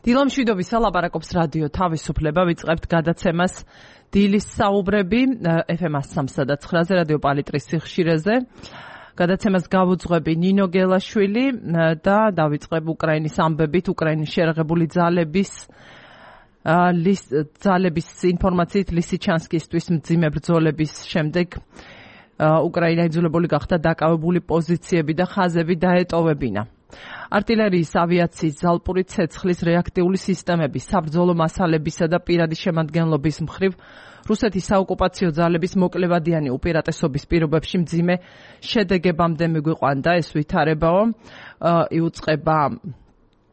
დილამშვიდობისა ლაპარაკობს რადიო თავისუფლება, ვიწყებთ გადაცემას დილის საუბრები FM 103.9-ზე რადიო პალიტრის სიხშირეზე. გადაცემას გავუძღვები ნინო გელაშვილი და დავიწყებ უკრაინის ამბებით, უკრაინის შეერაღებული ძალების ინფორმაციით ლისიჩანსკისთვის მძიმე ბრძოლების შემდეგ უკრაინა იძულებული გახდა დაკავებული პოზიციები და ხაზები დაეტოვებინა. არტილერიის, ავიაციის, ზალპური ცეცხლის, რეაქტიული სისტემების, საბრძოლო მასალებისა და პირადი შემადგენლობის მხრივ რუსეთის საოკუპაციო ძალების მოკლევადიანი უპირატესობის პირობებში მძიმე შედეგებამდე მიგვიყვანდა ეს ვითარებაო. იუწყება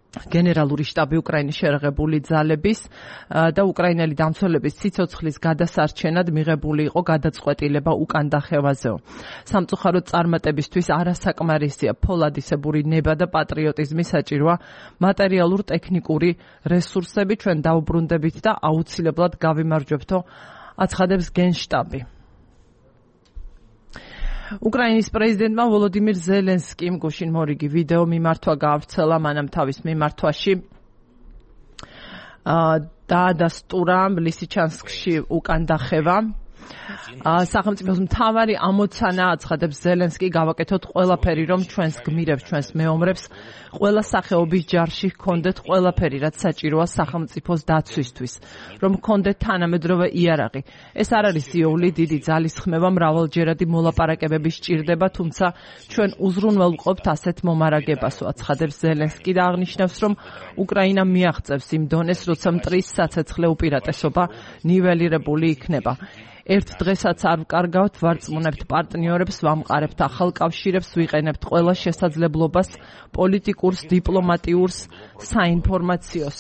გენერალური შტაბი უკრაინის შეერაღებული ძალების და უკრაინელი დამცველების სიცოცხლის გადასარჩენად მიღებული იყო გადაწყვეტილება უკან დახევაზეო. სამწუხაროდ წარმატებისთვის არასაკმარისია ფოლადისებური ნება და პატრიოტიზმი საჭიროა მატერიალურ-ტექნიკური რესურსები ჩვენ დაუბრუნდებით და აუცილებლად გავიმარჯვებთო, აცხადებს გენშტაბი. უკრაინის პრეზიდენტმა ვოლოდიმირ ზელენსკიმ გუშინ მორიგი ვიდეო მიმართვა გაავრცელა მანამ თავის მიმართვაში დაადასტურა ლისიჩანსკში უკან დახევა. სახელმწიფოს მთავარი ამოცანა აცხადებს ზელენსკი გავაკეთოთ ყველაფერი რომ ჩვენს გმირებს, ჩვენს მეომრებს ყველა სახეობის ჯარში ჰქონდეთ ყველაფერი რაც საჭიროა სახელმწიფოს დაცვისთვის, რომ ჰქონდეთ თანამედროვე იარაღი. ეს არ არის იოვლი დიდი ძალისხმევა, მრავალჯერადი მოლაპარაკებები სჭირდება, თუმცა ჩვენ უზრუნველყოფთ ასეთ მომარაგებასო, აცხადებს ზელენსკი და აღნიშნავს, რომ უკრაინა მიაღწევს იმ დონეს, როცა მტრის საცეცხლე უპირატესობა ნიველირებული იქნება. ერთ დღესაც არ ვკარგავთ, ვარწმუნებთ პარტნიორებს, ვამყარებთ ახალ კავშირებს, ვიყენებთ ყველა შესაძლებლობას პოლიტიკურს, დიპლომატიურს, საინფორმაციოს.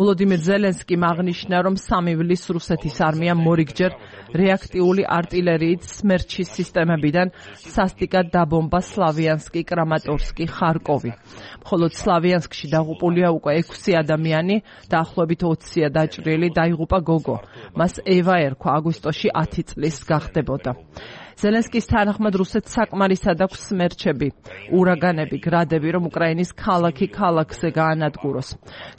ვოლოდიმირ ზელენსკიმ აღნიშნა, რომ სამივლის რუსეთის არმიამ მორიგჯერ რეაქტიული არტილერიით სმერჩის სისტემებიდან სასტიკად დაბომბა სლავიანსკი, კრამატორსკი, ხარკოვი. მხოლოდ სლავიანსკში დაღუპულია უკვე 6 ადამიანი, დაახლოებით 20-ია დაჭრილი, დაიღუპა გოგო. მას ევა ერქვა, აგვისტოში 10 წლის გახდებოდა. ზელენსკის თანახმად რუსეთს საკმარისად აქვს სმერჩები, ურაგანები, გრადები, რომ უკრაინის ქალაქი ქალაქზე გაანადგუროს.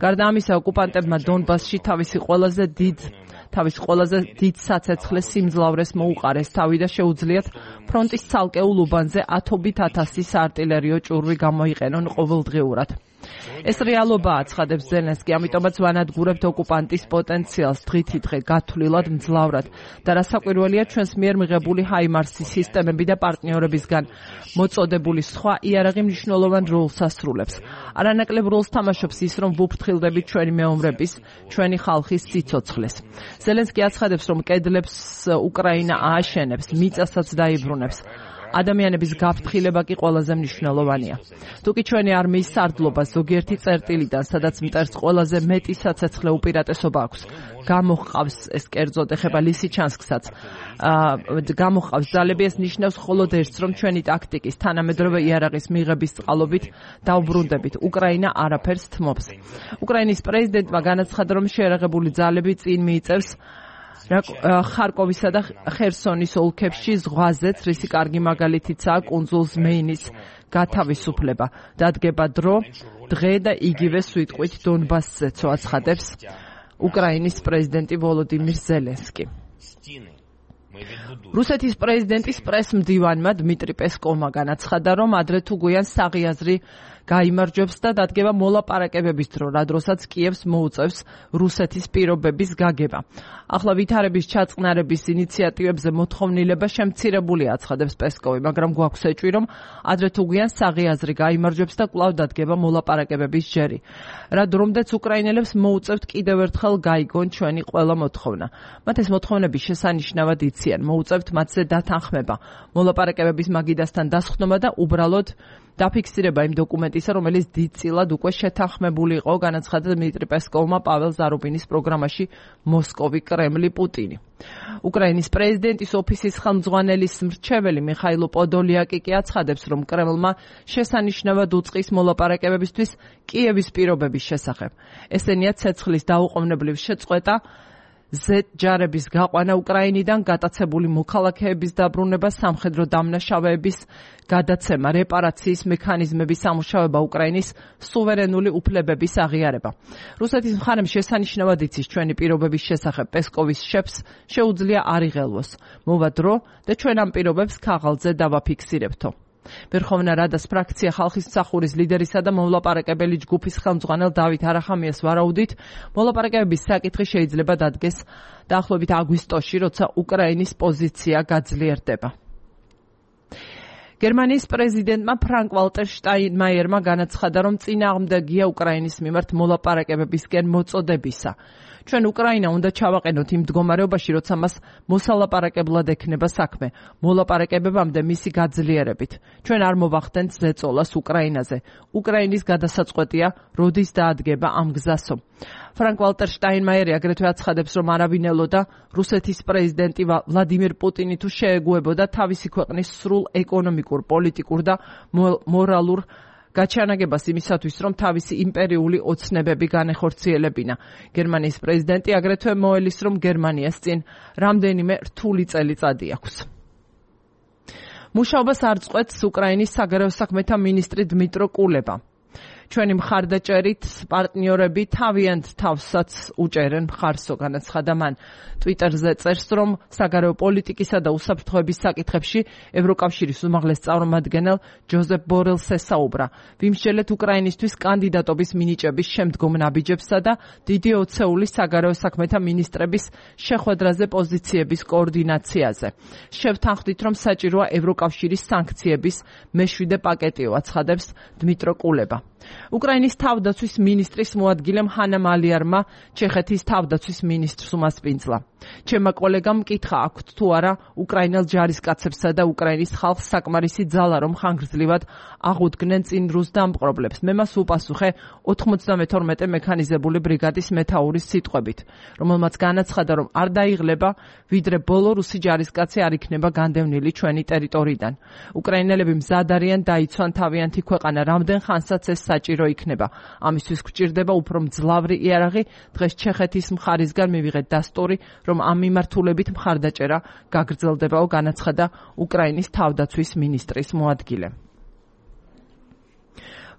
გარდა ამისა, ოკუპანტებმა დონბასში თავის ყველაზე დიდ საცეცხლეს სიმძლავრეს მოუყარეს თავი და შეუძლიათ ფრონტის ცალკეულ უბანზე ათობით ათასის არტილერიო ჭურვი გამოიყენონ ყოველდღიურად. ეს რეალობაა, აცხადებს ზელენსკი, ამიტომაც ვანადგურებთ ოკუპანტის პოტენციალს დღითიდღე გათვლილად, მძლავრად და რასაკვირველია ჩვენს მიერ მიღებული ჰაიმარსის სისტემები და პარტნიორებისგან მოწოდებული სხვა იარაღი მნიშვნელოვან როლს ასრულებს. არანაკლებ როლს თამაშობს ის, რომ ვუფრთხილდებით ჩვენი მეომრების, ჩვენი ხალხის სიცოცხლეს. ზელენსკი აცხადებს, რომ კედლებს უკრაინა ააშენებს, მიწასაც დაიბრუნებს. ადამიანების გაფრთხილება კი ყველაზე მნიშვნელოვანია. თუკი ჩვენი არმიის სარდლობა ზოგიერთი წერტილიდან, სადაც მტერს ყველაზე მეტი საცეცხლე უპირატესობა აქვს, გამოჰყავს ეს კერძოდ ეხება ლისიჩანსკსაც, გამოჰყავს ძალები, ეს ნიშნავს მხოლოდ ერთს, რომ ჩვენი ტაქტიკის თანამედროვე იარაღის მიღების წყალობით დაუბრუნდებით. უკრაინა არაფერს თმობს. უკრაინის პრეზიდენტმა განაცხადა, რომ შეერაღებული ძალები წინ მიიწევს ხარკოვისა და ხერსონის ოლქებში ზღვაზეც, რისი კარგი მაგალითიცაა კუნძულ ზმეინის გათავისუფლება. დადგება დრო, დღე და იგივე სვიტყვით დონბასზეცო, აცხადებს უკრაინის პრეზიდენტი ვოლოდიმირ ზელენსკი. რუსეთის პრეზიდენტის პრესმდივანმა დმიტრი პესკოვმა განაცხადა, რომ ადრე თუ გვიან საღიაზრი გაიმარჯვებს და დადგება მოლაპარაკებების დრო, რა დროსაც კიევს მოუწევს რუსეთის პირობების გაგება. ახლა ვითარების ჩაწყნარების ინიციატივებზე მოთხოვნილება შემცირებულია, აცხადებს პესკოვი, მაგრამ გვაქვს ეჭვი, რომ ადრე თუ გვიან საღიაზრი გაიმარჯვებს და კვლავ დადგება მოლაპარაკებების ჯერი. რა დრომდეც უკრაინელებს მოუწევთ კიდევ ერთხელ გაიგონ ჩვენი ყველა მოთხოვნა. მათ ეს მოთხოვნები შესანიშნავად იციან, მოუწევთ მათზე დათანხმება, მოლაპარაკებების მაგიდასთან დასხდომა და უბრალოდ დაფიქსირება იმ დოკუმენტისა, რომელიც დიდწილად უკვე შეთანხმებული იყო, განაცხადა დმიტრი პესკოვმა პაվել ზარუბინის პროგრამაში მოსკოვი, კრემლი, პუტინი. უკრაინის პრეზიდენტის ოფისის ხელმძღვანელის მრჩეველი მიხაილო პოდოლიაკი კი აცხადებს, რომ კრემლმა შესანიშნავად უწყის მოლაპარაკებებისთვის კიევის პირობების შესახებ. ესენია ცეცხლის დაუყოვნებლივ შეწყვეტა, ზეჯარების გაყვანა უკრაინიდან, გატაცებული მოქალაქეების დაბრუნება, სამხედრო დამნაშავეების გადაცემა, რეპარაციის მექანიზმების სამუშაოება, უკრაინის სუვერენული უფლებების აღიარება. რუსეთის მხარემ შესანიშნავად იცის ჩვენი პირობების შესახებ პესკოვის შეფს შეუძლია არ იღელვოს. მოვა დრო და ჩვენ ამ პირობებს ქაღალდზე დავაფიქსირებთო. ვერხოვნა რადას ფრაქცია ხალხის მსახურის ლიდერისა და მომლაპარაკებელი ჯგუფის ხელმძღვანელ დავით არახამიას ვარაუდით, მოლაპარაკებების საკითხი შეიძლება დადგეს დაახლოებით აგვისტოში, როცა უკრაინის პოზიცია გაძლიერდება. გერმანიის პრეზიდენტმა ფრანკ ვალტერ შტაინმაიერმა განაცხადა, რომ წინააღმდეგია უკრაინის მიმართ მოლაპარაკებებისკენ მოწოდებისა. ჩვენ უკრაინა უნდა ჩავაყენოთ იმ მდგომარეობაში, როცა მას მოსალაპარაკებლად ექნება საქმე, მოლაპარაკებებამდე მისი გაძლიერებით. ჩვენ არ მოვახდენთ ზეწოლას უკრაინაზე. უკრაინის გადასაწყვეტია, როდის დაადგება ამ გზასო. ფრანკ ვალტერ შტაინმაიერი აგრეთვე აცხადებს, რომ არავინელო და რუსეთის პრეზიდენტი ვლადიმირ პუტინი თუ შეეგუებოდა თავისი ქვეყნის სრულ ეკონომიკურ, პოლიტიკურ და მორალურ გაჩანაგებას იმისათვის, რომ თავისი იმპერიული ოცნებები განეხორციელებინა. გერმანიის პრეზიდენტი აგრეთვე მოელის, რომ გერმანიას წინ რამდენიმე რთული წელიწადი აქვს. მუშაობას არ წყვეტს უკრაინის საგარეო საქმეთა მინისტრი დმიტრო კულება. ჩვენი მხარდაჭერით პარტნიორები თავიანთ თავსაც უჭერენ მხარსო, განაცხადა მან. ტვიტერზე წერს, რომ საგარეო პოლიტიკისა და უსაფრთხოების საკითხებში ევროკავშირის უმაღლეს წარმომადგენელ ჯოზეფ ბორელს ესაუბრა. ვიმსჯელეთ უკრაინისთვის კანდიდატობის მინიჭების შემდგომ ნაბიჯებსა და დიდი ოცეულის საგარეო საქმეთა მინისტრების შეხვედრაზე პოზიციების კოორდინაციაზე. შევთანხმდით, რომ საჭიროა ევროკავშირის სანქციების მეშვიდე პაკეტიო, აცხადებს დმიტრო კულება. უკრაინის თავდაცვის მინისტრის მოადგილემ ჰანა მალიარმა ჩეხეთის თავდაცვის მინისტრს უმასპინძლა. ჩემმა კოლეგამ მკითხა აქვთ თუ არა უკრაინელ ჯარისკაცებსა და უკრაინის ხალხს საკმარისი ძალა, რომ ხანგრძლივად აღუდგნენ წინ რუს დამპყრობლებს. მე მას უპასუხე 92 მექანიზებული ბრიგადის მეთაურის სიტყვებით, რომელმაც განაცხადა, რომ არ დაიღლება, ვიდრე ბოლო რუსი ჯარისკაცი არ იქნება განდევნილი ჩვენი ტერიტორიიდან. უკრაინელები მზად არიან დაიცვან თავიანთი ქვეყანა, რამდენ ხანსაც ეს საჭირო იქნება. ამისთვის გვჭირდება უფრო მძლავრი იარაღი. დღეს ჩეხეთის მხარისგან მივიღეთ დასტური, რომ ამ მიმართულებით მხარდაჭერა გაგრძელდებაო, განაცხადა უკრაინის თავდაცვის მინისტრის მოადგილე.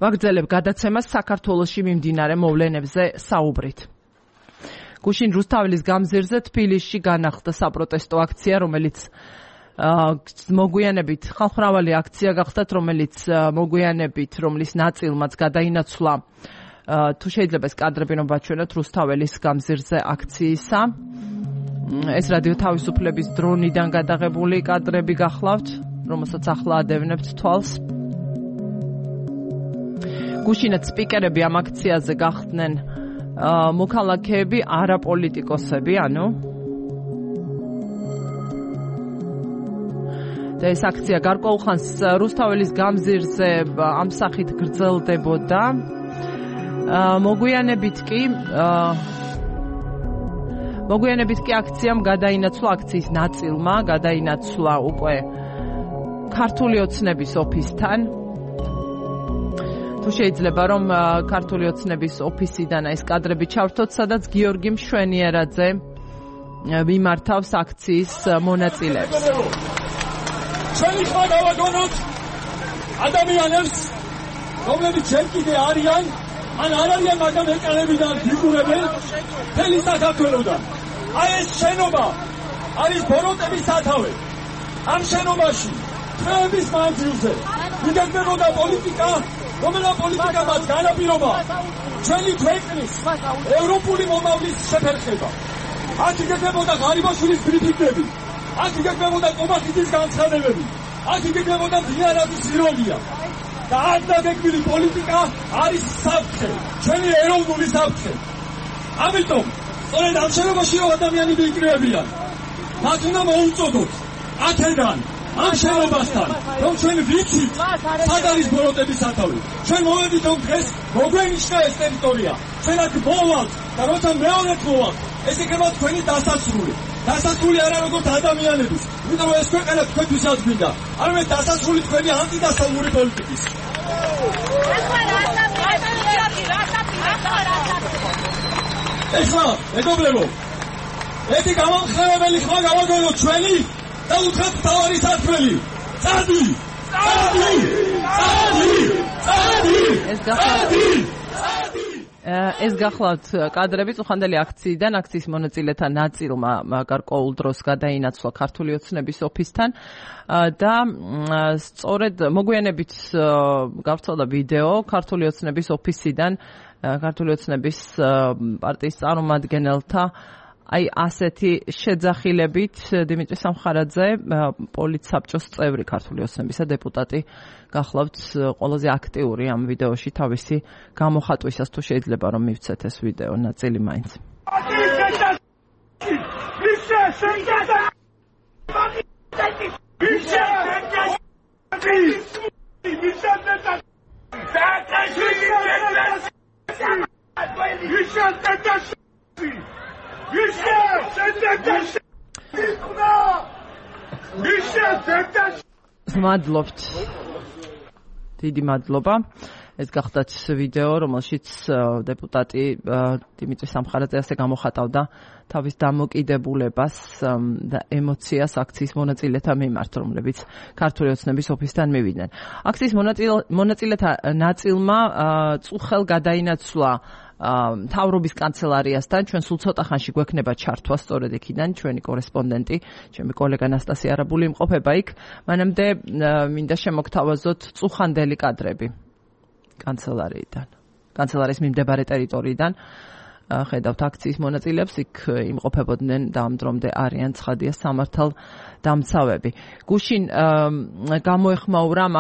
ვაგრძელებ გადაცემას საქართველოში მიმდინარე მოვლენებზე საუბრით. გუშინ რუსთაველის გამზირზე თბილისში განახლდა საპროტესტო აქცია, რომელიც მოგვიანებით ხალხმრავალი აქცია გახდათ, რომელიც მოგვიანებით, რომლის ნაწილმაც გადაინაცვლა, თუ შეიძლება ეს კადრები რომ ვაჩვენოთ რუსთაველის გამზირზე აქციისა. ეს რადიო თავისუფლების დრონიდან გადაღებული კადრები გახლავთ, რომელსაც ახლა ადევნებთ თვალს. გუშინაც სპიკერები ამ აქციაზე გახდნენ მოქალაქეები, არაპოლიტიკოსები, ანუ და ეს აქცია გარკვეულ ხანს რუსთაველის გამზირზე ამ სახით გრძელდებოდა. მოგვიანებით კი აქციამ გადაინაცვლა, აქციის ნაწილმა გადაინაცვლა უკვე ქართული ოცნების ოფისთან. თუ შეიძლება რომ ქართული ოცნების ოფისიდან ეს კადრები ჩავრთოთ, სადაც გიორგი მშვენიერაძე მიმართავს აქციის მონაწილეებს. ჩვენი ხმა გავაგონოთ ადამიანებს, რომლებიც ჯერ კიდე არიან, ან არ არიან, მაგრამ ეკანებიდან ფიგურებენ მთელი საქართველოდან. აი ეს შენობა არის ბოროტების სათავე. ამ შენობაში თვეების მანძილზე იგეგმებოდა პოლიტიკა, რომელსაც პოლიტიკა მათ განაპირობა ჩვენი ქვეყნის ევროპული მომავლის შეფერხება. აქ იგეგმებოდა ღარიბაშვილის ბრიფინგები, აქ იგეგმებოდა კომახიძის განცხადებები, აქ იგეგმებოდა ბიარაძის ირონია. და აქ დაგეგმილი პოლიტიკა არის საფრთხე, ჩვენი ეროვნული საფრთხე. ამიტომ სწორედ ამ შენობაში რომ ადამიანები იკრიბებიან, მათ უნდა მოუწოდოთ აქედან, ამ შენობასთან, რომ ჩვენ ვიცით, სად არის ბოროტების სათავე. ჩვენ მოვედით, რომ დღეს მოგვენიშნა ეს ტერიტორია. ჩვენ აქ მოვალთ და როცა მეორედ მოვალთ, ეს იქნება თქვენი დასასრული. დასასრული არა როგორც ადამიანების, იმიტომ რომ ეს ქვეყანა თქვენთვის აღგვინდა, არამედ დასასრული თქვენი ანტიდასავლური პოლიტიკის. ეხლა, მეგობრებო, ეთი გამამხნევებელი ხმა გავაგონოთ ჩვენი და უთხრათ მთავარი სათქმელი. წადი! ეს გახლავთ კადრები წუხანდელი აქციიდან, აქციის მონაწილეთა ნაწილმა გარკვეულ დროს გადაინაცვლა ქართული ოცნების ოფისთან და სწორედ მოგვიანებით გავრცელდა ვიდეო ქართული ოცნების ოფისიდან, ქართული ოცნების პარტიის წარმომადგენელთა აი ასეთი შეძახილებით დიმიტრი სამხარაძე, პოლიტსაბჭოს წევრი ქართული ოცნებისა დეპუტატი გახლავთ ყველაზე აქტიური ამ ვიდეოში თავისი გამოხატვისას, თუ შეიძლება რომ მივცეთ ეს ვიდეო ნაწილი მაინც. მადლობთ. დიდი მადლობა. ეს გახდათ ვიდეო, რომელშიც დეპუტატი დიმიტრი სამხარაძე ასე გამოხატავდა თავის დამოკიდებულებას და ემოციას აქციის მონაწილეთა მიმართ, რომლებიც ქართული ოცნების ოფისთან მივიდნენ. აქციის მონაწილეთა ნაწილმა წუხელ გადაინაცვლა მთავრობის კანცელარიასთან, ჩვენ სულ ცოტა ხანში გვექნება ჩართვა სწორედ იქიდან, ჩვენი კორესპონდენტი, ჩემი კოლეგა ნასტასია არაბული იმყოფება იქ. მანამდე მინდა შემოგთავაზოთ წუხანდელი კადრები კანცელარიიდან, კანცელარიის მიმდებარე ტერიტორიიდან. ხედავთ აქციის მონაწილეებს, იქ იმყოფებოდნენ და ამ დრომდე არიან ცხადია სამართალ დამცავები. გუშინ გამოეხმაურა ამ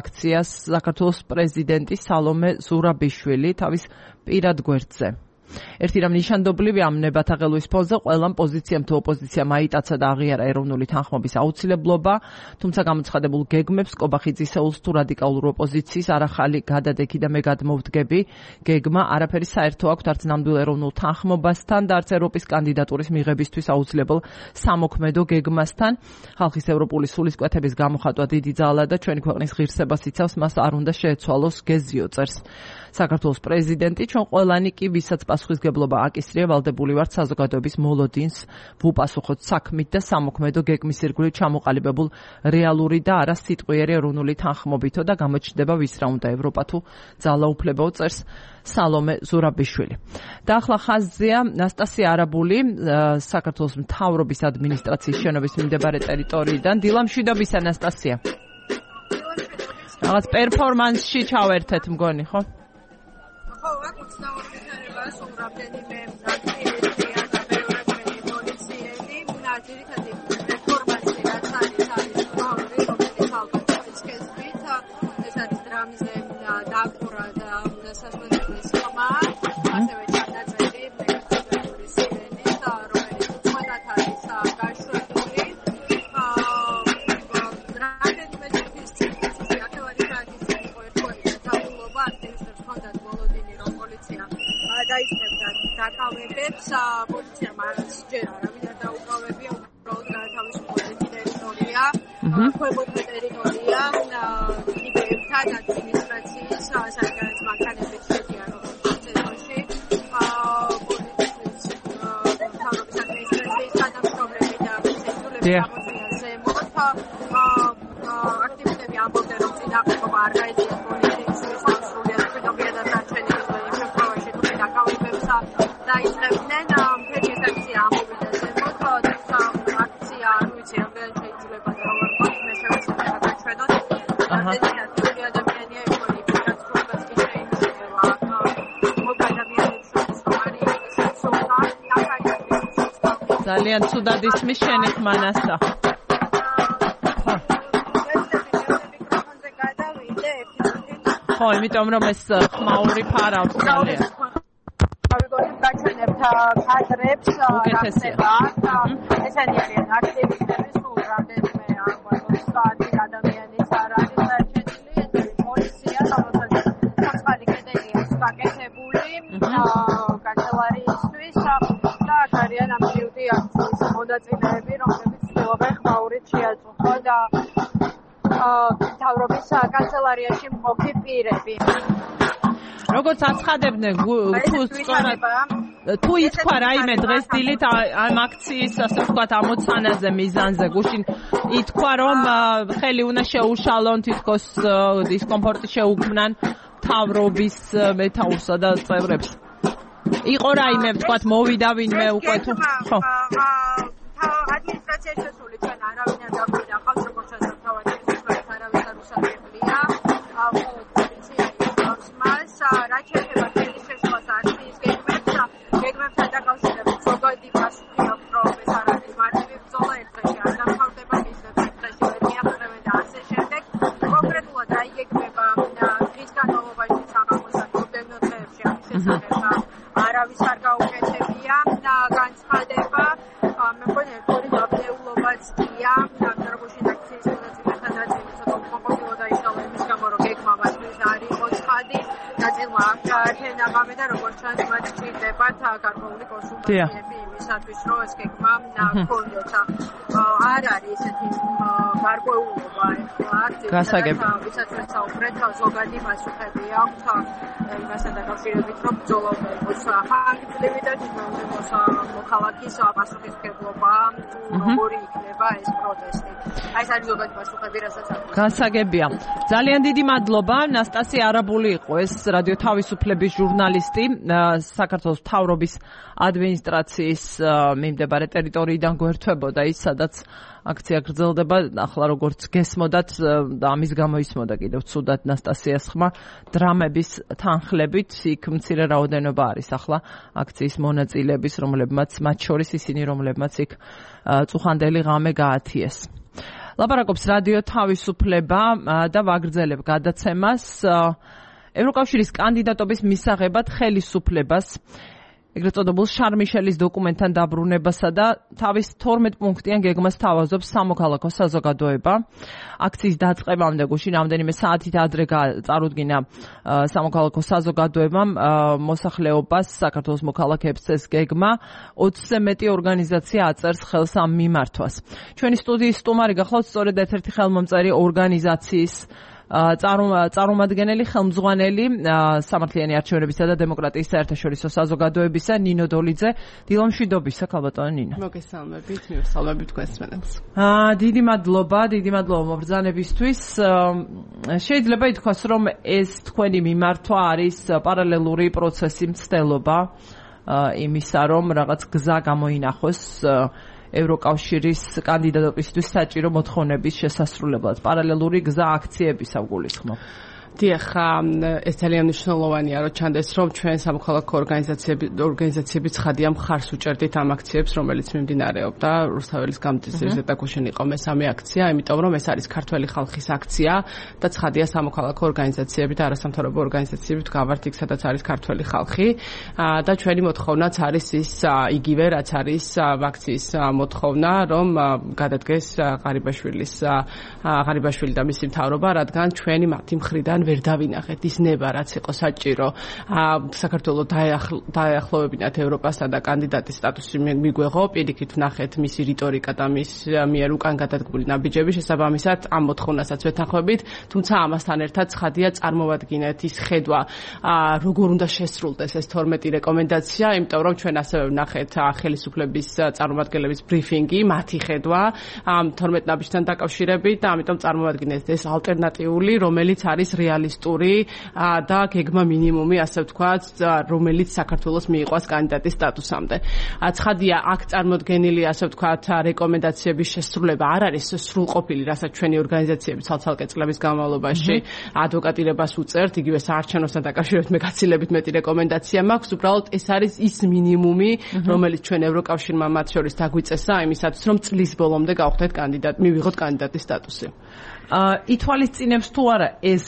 აქციას საქართველოს პრეზიდენტი სალომე ზურაბიშვილი თავის პირად გვერდზე. ერთი რამ ნიშანდობლივი ამ ნებათაღელვის ფონზე ყველამ პოზიციამ თუ ოპოზიციამ აიტაცა და აღიარა ეროვნული თანხმობის აუცილებლობა, თუმცა გამოცხადებულ გეგმებს კობახიძისეულს თუ რადიკალურ ოპოზიციის არახალი გადადექი და მე გადმოვდგები გეგმა არაფერი საერთო აქვს არც ნამდვილ ეროვნულ თანხმობასთან და არც ევროპის კანდიდატურის მიღებისთვის აუცილებელ სამოქმედო გეგმასთან. ხალხის ევროპული სულისკვეთების გამოხატვა დიდი ძალა და ჩვენი ქვეყნის ღირსებას იცავს, მას არ უნდა შეეცვალოს გეზიო წერს საქართველოს პრეზიდენტი. ჩვენ ყველანი კი ვისაც პასუხისგებლობა აკისრია, ვალდებული ვართ საზოგადოების მოლოდინს ვუპასუხოთ საქმით და სამოქმედო გეგმის ირგვლივ ჩამოყალიბებულ რეალური და არა სიტყვიერი ეროვნული თანხმობითო და გამოჩნდება ვის რა უნდა ევროპა თუ ძალაუფლებაო წერს სალომე ზურაბიშვილი. და ახლა ხაზზეა ნასტასია არაბული საქართველოს მთავრობის ადმინისტრაციის შენობის მიმდებარე ტერიტორიიდან. დილამშვიდობისა ნასტასია. რაღაც პერფორმანსში ჩავერთეთ მგონი, ხო? ხო, აქ უცნაურია სულ რამდენიმე აქტივისტია და ბევრი პოლიციელი, ძირითადი პერფორმანსი რაც არის ორი, რომელიც ალბათ შეცდით, ეს არის დრამზე დაკვრა და სასწავლებლის ხმა, ასევე ჩანაწერი მეკობრული სირენი და რომელიც უცბად არის გაშვებული. რამდენიმე წუთის წინ აქელარი გააკეთეს ყოველგვარი დაწესებულება აქტივისტებს ჰქონდათ მოლოდინი, რომ პოლიცია დაიწყებდა დაკავებებს. პოლიციამ არც ჯერ არავინ არ დაუკავებია, უბრალოდ გაათავისუფლეს ტერიტორია, ქვემოთმე ტერიტორია, იბერთან ადმინისტრაციის საკუთარი მანქანებით შედიან როგორც წესოში. პოლიციის მთავრობის ადმინისტრაციის თანამშრომლები და ცენტრალური გამოწვევა ზემოთ. აქტივისტები ამბობდნენ, რომ წინააღმდეგობა არ გაეწია პოლიციის სრულიად მშვიდობიანად დარჩენილი და იმ შემთხვევაში თუ დაკავებებს დაიწყებდნენ. მთელი ეს აქცია ამოვიდა ზემოთ, თუმცა აქცია არ ვიცი რამდენად შეიძლება და როგორ მოხდა, მე შევეცდები გადაჩვენოთ. რამდენად ადამიანია ექონი გასწრებას კი შეიძლება. მოგადაბიანებს შორის რომ არის სულთა, ძალიან ცუდად ისმის შენი ხმანასა. ხო, იმიტომ რომ ეს ხმაური ფარავს ძალიან. გავიგონებ გაჩვენებთ კადრებს, ესენი არიან აქტივისტები, სულ რამდენიმე ადამიანის არ არის დარჩენილი, ეს არის პოლიცია, რომელსაც სამწვარი კედელი აქვს გაკეთებული კანცელარიისთვის და აქ არიან ამ ჯიუტი აქციის მონაწილეები, რომლებიც ცდილობენ ხმაურით შეაწუხონ და მთავრობის კანცელარიაში მყოფი პირები. როგორც აცხადებდნენ თუ სწორად თუ ითქვა რაიმე დღეს დილით ამ აქციის ასე ვთქვათ ამოცანაზე მიზანზე გუშინ ითქვა რომ ხელი უნდა შეუშალონ თითქოს დისკომფორტი შეუქმნან მთავრობის მეთაურსა და წევრებს იყო რაიმე ვთქვათ მოვიდა ვინმე უკვე თუ ხო ადმინისტრაციაში შესული ჩვენ არავინ არ დაგვიდა ხავს როგორც თავად ეს არავის არ უსაძლებელია პოლიციის მას რაც შეეხება ხელის შეშლას აქციის გეგმებთან დაკავშირებით ზოგადი პასუხი აქვს რომ ეს არ არის მარტივი ბრძოლა ერთ დღეში არ დამთავრდება მისდევს ერთ დღეში ვერ მიაღწევენ და ასე შემდეგ კონკრეტულად აიგეგმება დღის განმავლობაში საღამოსა მომდევნო დღეებში ამის შესახებ არავის არ გაუკეთებია განცხადება მე მგონი ერთგვარი დაბნეულობაც გია ნაკრებუშინ აქციის მონაწილეთა ნაწილი ცოტა უკმაყოფილო დაიშალა იმის გამო რომ გეგმა მასთვის არ იყო ცხადი ნაწილმა არ გაათენა ღამე და როგორც ჩანს მათ სჭირდებათ გარკვეული კონსულტაციები იმისათვის რომ ეს გეგმა გქონდეთ არ არის ესეთი გარკვეულობა ეხლა ვისაც საუბრეთ ზოგადი პასუხები აქვს იმასთან დაკავშირებით რომ ბრძოლა იყოს ხანგრძლივი და თვითონ მოქალაქის პასუხისმგებლობა როგორი იქნება ეს პროტესტი აი ეს არის ზოგადი პასუხები რასაც აქვს გასაგებია ძალიან დიდი მადლობა ნასტასი არაბული იყო ეს რადიო თავისუფლების ჟურნალისტი საქართველოს მთავრობის ადმინისტრაციის მიმდებარე ტერიტორიიდან გვერდებოდა ის სადაც აქცია გრძელდება ახლა როგორც გესმოდათ და ამის გამო ისმოდა კიდევ ცუდად ნასტასიას ხმა დრამების თანხლებით იქ მცირე რაოდენობა არის ახლა აქციის მონაწილეების რომლებმაც მათ შორის ისინი რომლებმაც იქ წუხანდელი ღამე გაათიეს ლაპარაკობს რადიო თავისუფლება და ვაგრძელებ გადაცემას ევროკავშირის კანდიდატობის მისაღებად ხელისუფლებას ეგრეთ წოდებულ შარმიშელის დოკუმენტთან დაბრუნებასა და თავის 12 პუნქტიან გეგმას თავაზობს სამოქალაქო საზოგადოება. აქციის დაწყებამდე გუშინ რამდენიმე საათით ადრე წარუდგინა სამოქალაქო საზოგადოებამ მოსახლეობას საქართველოს მოქალაქეებს ეს გეგმა 20-ზე მეტი ორგანიზაცია აწერს ხელს ამ მიმართვას. ჩვენი სტუდიის სტუმარი გახლავთ სწორედ ერთ-ერთი ხელმომწერი ორგანიზაციის წარმომადგენელი ხელმძღვანელი სამართლიანი არჩევნებისა და დემოკრატიის საერთაშორისო საზოგადოებისა ნინო დოლიძე დილომშვიდობისა ქალბატონო ნინო მოგესალმებით მივესალმებით თქვენს დიდი მადლობა მობრძანებისთვის შეიძლება ითქვას რომ ეს თქვენი მიმართვა არის პარალელური პროცესი მცდელობა იმისა რომ რაღაც გზა გამოინახოს ევროკავშირის კანდიდატობისთვის საჭირო მოთხოვნების შესასრულებლად პარალელური გზა აქციებისა გულისხმობ. დიახ, ეს ძალიან მნიშვნელოვანია, რომ ჩანდეს, რომ ჩვენ სამოქალაქო ორგანიზაციები ცხადია მხარს უჭერდით ამ აქციებს, რომელიც მიმდინარეობდა რუსთაველის გამწესების ეტაკუშინ იყო მესამე აქცია, იმიტომ რომ ეს არის ქართველი ხალხის აქცია და ცხადია სამოქალაქო ორგანიზაციები და არასამთავრობო ორგანიზაციები გავართ იქ, სადაც არის ქართველი ხალხი და ჩვენი მოთხოვნაც არის ის იგივე, რაც არის აქციის მოთხოვნა, რომ გადადგეს ღარიბაშვილი და მისი მთავრობა, რადგან ჩვენი მათი მხრიდან ვერ დავინახეთ ის ნება, რაც იყო საჭირო საქართველოს დაახლოვებინათ ევროპასა და კანდიდატის სტატუსი მიგვეღო, პირიქით ვნახეთ მისი რიტორიკა და მის მიერ უკან გადადგმული ნაბიჯები შესაბამისად ამ მოთხოვნასაც ვეთანხმებით, თუმცა ამასთან ერთად ცხადია წარმოვადგინეთ ის ხედვა, როგორ უნდა შესრულდეს ეს 12 რეკომენდაცია, იმიტომ რომ ჩვენ ასევე ვნახეთ ხელისუფლების წარმომადგენლების ბრიფინგი, მათი ხედვა ამ 12 ნაბიჯთან დაკავშირებით და ამიტომ წარმოვადგინეთ ეს ალტერნატიული, რომელიც არის რეალისტური და გეგმა მინიმუმი, ასე ვთქვათ, რომელიც საქართველოს მიიყვას კანდიდატის სტატუსამდე. ცხადია, აქ წარმოდგენილი, ასე ვთქვათ, რეკომენდაციების შესრულება არ არის სრულყოფილი, რასაც ჩვენი ორგანიზაციები ცალ-ცალკე წლების განმავლობაში ადვოკატირებას უწევთ, იგივე საარჩევნოსთან დაკავშირებით მე გაცილებით მეტი რეკომენდაცია მაქვს, უბრალოდ ეს არის ის მინიმუმი, რომელიც ჩვენ ევროკავშირმა მათ შორის დაგვიწესა იმისათვის, რომ წლის ბოლომდე გავხდეთ მივიღოთ კანდიდატის სტატუსი. ითვალისწინებს თუ არა ეს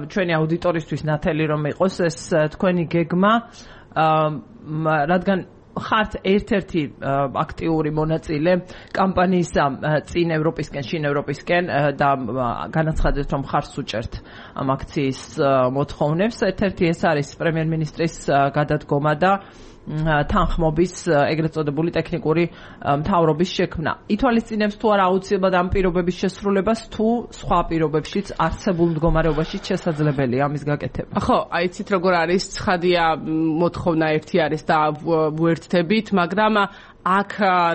ჩვენი აუდიტორისთვის ნათელი რომ იყოს ეს თქვენი გეგმა, რადგან ხართ ერთ-ერთი აქტიური მონაწილე კამპანიისა წინ ევროპისკენ, შინ ევროპისკენ და განაცხადეთ რომ ხარს უჭერთ ამ აქციის მოთხოვნებს. ერთ-ერთი ეს არის პრემიერ-მინისტრის გადადგომა და თანხმობის ეგრეთ წოდებული ტექნიკური მთავრობის შექმნა. ითვალისწინებს თუ არა აუცილებლად ამ პირობების შესრულებას, თუ სხვა პირობებშიც არსებულ მდგომარეობაშიც შესაძლებელია ამის გაკეთება. ხო, აი იცით როგორ არის, ცხადია მოთხოვნა ერთი არის და ვუერთდებით, მაგრამ აქ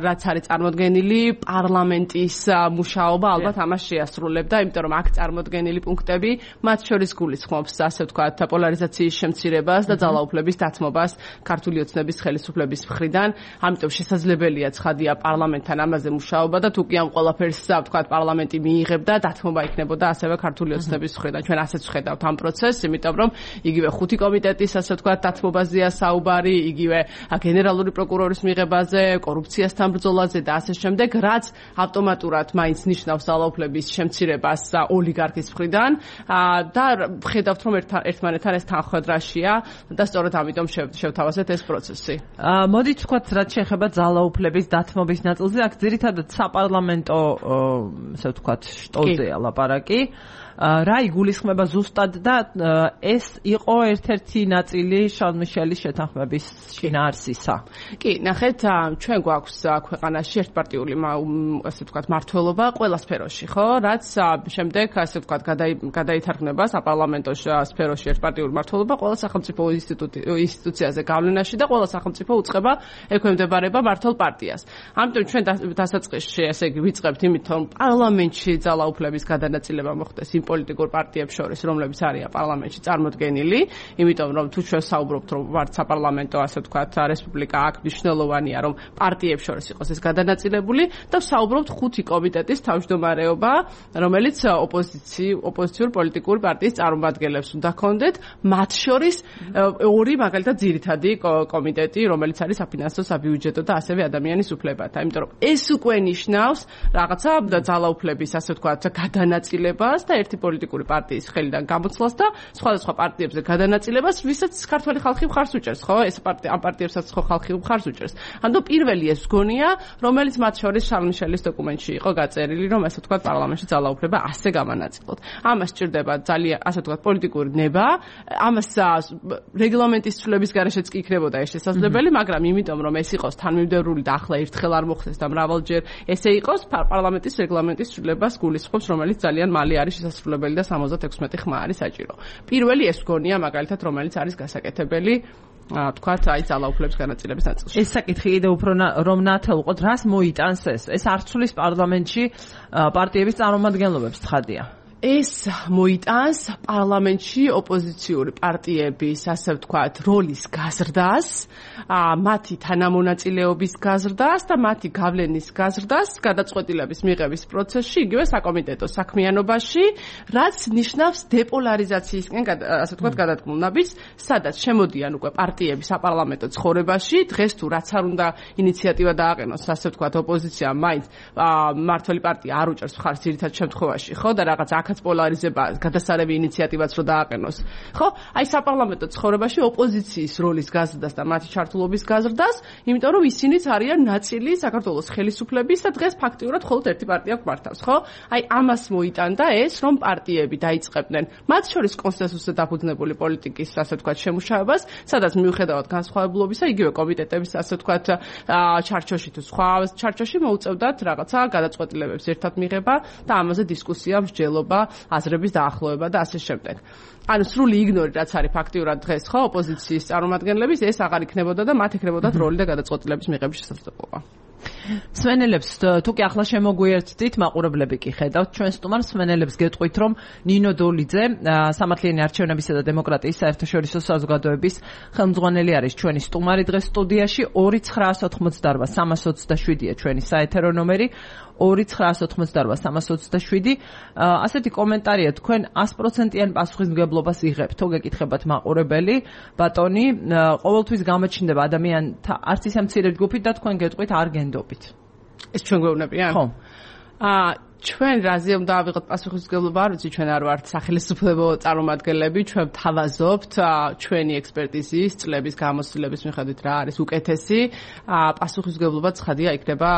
რაც არის წარმოდგენილი პარლამენტის მუშაობა ალბათ ამას შეასრულებდა, იმიტომ რომ აქ წარმოდგენილი პუნქტები მათ შორის გულისხმობს, ასე ვთქვათ, პოლარიზაციის შემცირებას და ძალაუფლების დათმობას ქართული ოცნების ხელისუფლების მხრიდან. ამიტომ შესაძლებელია ცხადია პარლამენტთან ამაზე მუშაობა და თუ კი ამ ყველაფერს ვთქვათ პარლამენტი მიიღებდა, დათმობა იქნებოდა ასევე ქართული ოცნების მხრიდან. ჩვენ ასეც ვხედავთ ამ პროცესს, იმიტომ რომ იგივე 5 კომიტეტის ასე ვთქვათ დათმობაზეა საუბარი, იგივე გენერალური პროკურორის მიღებაზე, კორუფციასთან ბრძოლაზე და ასე შემდეგ, რაც ავტომატურად მაინც ნიშნავს ძალაუფლების შემცირებას ოლიგარქის მხრიდან და ხედავთ რომ ერთმანეთთან ეს თანხმდრაშია და სწორედ ამიტომ შევთავაზეთ ეს პროცესი. მოდით ვთქვათ, რაც შეეხება ძალაუფლების დათმობის ნაწილზე, აქ ძირითადად საპარლამენტო ასე ვთქვათ შტოზეა ლაპარაკი. რა იგულისხმება ზუსტად და ეს იყო ერთ-ერთი ნაწილი შარლ მიშელის შეთანხმების შინაარსისა. კი, ნახეთ, ჩვენ გვაქვს ქვეყანაში ერთპარტიული ასე ვთქვათ მმართველობა ყველა სფეროში, ხო? რაც შემდეგ ასე ვთქვათ გადაითარგმნება საპარლამენტო სფეროში ერთპარტიული მმართველობა ყველა სახელმწიფო ინსტიტუციაზე გავლენაში და ყველა სახელმწიფო უწყება ექვემდებარება მმართველ პარტიას. ამიტომ ჩვენ დასაწყისში ესე იგი ვიწყებთ იმით, რომ პარლამენტში ძალაუფლების გადანაწილება მოხდეს იმ პოლიტიკურ პარტიებს შორის, რომლებიც არიან პარლამენტში წარმოდგენილი, იმიტომ რომ თუ ჩვენ საუბრობთ, რომ ვართ საპარლამენტო, ასე ვთქვათ, რესპუბლიკა, აქ მნიშვნელოვანია, რომ პარტიებს შორის იყოს ეს გადანაწილებული და საუბრობთ 5 კომიტეტის თავმჯდომარეობა, რომელიც ოპოზიციურ პოლიტიკური პარტიის წარმომადგენლებს უნდა ქონდეთ, მათ შორის 2 მაგალითად ძირითადი კომიტეტი, რომელიც არის საფინანსო, საბიუჯეტო და ასევე ადამიანის უფლებათა. იმიტომ რომ ეს უკვე ნიშნავს რაღაცა ძალაუფლების, ასე ვთქვათ, გადანაწილებას და ერთი პოლიტიკური პარტიის ხელიდან გამოცვლას და სხვადასხვა პარტიებზე გადანაწილებას, ვისაც ქართველი ხალხი მხარს უჭერს, ხო? ეს ამ პარტიებსაც ხო ხალხი მხარს უჭერს. ანუ პირველი ეს გონია, რომელიც მათ შორის შარლ მიშელის დოკუმენტში იყო გაწერილი, რომ ასე ვთქვათ, პარლამენტში ძალაუფლება ასე გამანაწილოთ. ამას სჭირდება ძალიან, ასე ვთქვათ, პოლიტიკური ნება, ამას რეგლამენტის ცვლილების გარეშეც კი იქნებოდა ეს შესაძლებელი, მაგრამ იმიტომ რომ ეს იყოს თანმიმდევრული და ახლა ერთხელ არ მოხდეს და მრავალჯერ ესე იყოს, პარლამენტის რეგლამენტის ცვლილებას გულისხმობს, რომელიც ძალიან მალე არის შესაძლებელი და 76 ხმა არის საჭირო. პირველი ეს გონია მაგალითად, რომელიც არის გასაკეთებელი თქვათ, აი ძალაუფლების განაწილების ნაწილში. ეს საკითხი კიდევ უფრო რომ ნათელყოთ, რას მოიტანს ეს? ეს არ ცვლის პარლამენტში პარტიების წარმომადგენლობებს, ცხადია. ეს მოიტანს პარლამენტში ოპოზიციური პარტიების, ასე ვთქვათ, როლის გაზრდას, მათი თანამონაწილეობის გაზრდას და მათი გავლენის გაზრდას გადაწყვეტილების მიღების პროცესში, იგივე საკომიტეტო საქმიანობაში, რაც ნიშნავს დეპოლარიზაციისკენ, ასე ვთქვათ, გადადგმულ ნაბიჯს, სადაც შემოდიან უკვე პარტიები საპარლამენტო ცხოვრებაში, დღეს თუ რაც არ უნდა ინიციატივა დააყენოს, ასე ვთქვათ, ოპოზიციამ მაინც მმართველი პარტია არ უჭერს მხარს ძირითად შემთხვევაში, ხო, და რაღაც აქაც პოლარიზება, გადასარევი ინიციატივაც რო დააყენოს. ხო, აი საპარლამენტო ცხოვრებაში ოპოზიციის როლის გაზრდას და მათი ჩართულობის გაზრდას, იმიტომ რომ ისინიც არიან ნაწილი საქართველოს ხელისუფლების და დღეს ფაქტიურად მხოლოდ ერთი პარტია გვმართავს, ხო? აი ამას მოიტანდა ეს, რომ პარტიები დაიწყებდნენ მათ შორის კონსენსუსზე დაფუძნებული პოლიტიკის, ასე ვთქვათ, შემუშავებას, სადაც მიუხედავად განსხვავებულობისა, იგივე კომიტეტების, ასე ვთქვათ, ჩარჩოში თუ სხვა ჩარჩოში მოუწევდათ რაღაცა გადაწყვეტილებებს ერთად მიღება და ამაზე დისკუსია, მსჯელობა, აზრების დაახლოება და ასე შემდეგ. ანუ სრული იგნორი რაც არის ფაქტიურად დღეს, ხო, ოპოზიციის წარმომადგენლების, ეს აღარ იქნებოდა და მათ ექნებოდათ როლი და გადაწყვეტილების მიღების შესაძლებლობა. სვენელებს თუ კი ახლა შემოგვიერთდით, მაყურებლები კი ხედავთ ჩვენ სტუმარს, სვენელებს გეტყვით, რომ ნინო დოლიძე, სამართლიანი არჩევნებისა და დემოკრატიის საერთაშორისო საზოგადოების ხელმძღვანელი არის ჩვენი სტუმარი დღეს სტუდიაში. 2988327-ია ჩვენი საეთერო ნომერი, 2988327. ასეთი კომენტარია, თქვენ 100%-იან პასუხისმგებლობას იღებთ, თუ გეკითხებათ მაყურებელი, ბატონი, ყოველთვის გამოჩნდება ადამიანთა არც ისე მცირე ჯგუფით და თქვენ გეტყვით არ გენდობით. ეს ჩვენ გვეუბნებიან? ხო. ჩვენ რაზე უნდა ავიღოთ პასუხისმგებლობა, არ ვიცი, ჩვენ არ ვართ სახელმწიფო წარმომადგენლები, ჩვენ თავაზობთ ჩვენი ექსპერტიზის, წლების გამოცდილების მიხედვით რა არის უკეთესი, პასუხისმგებლობა ცხადია იქნება,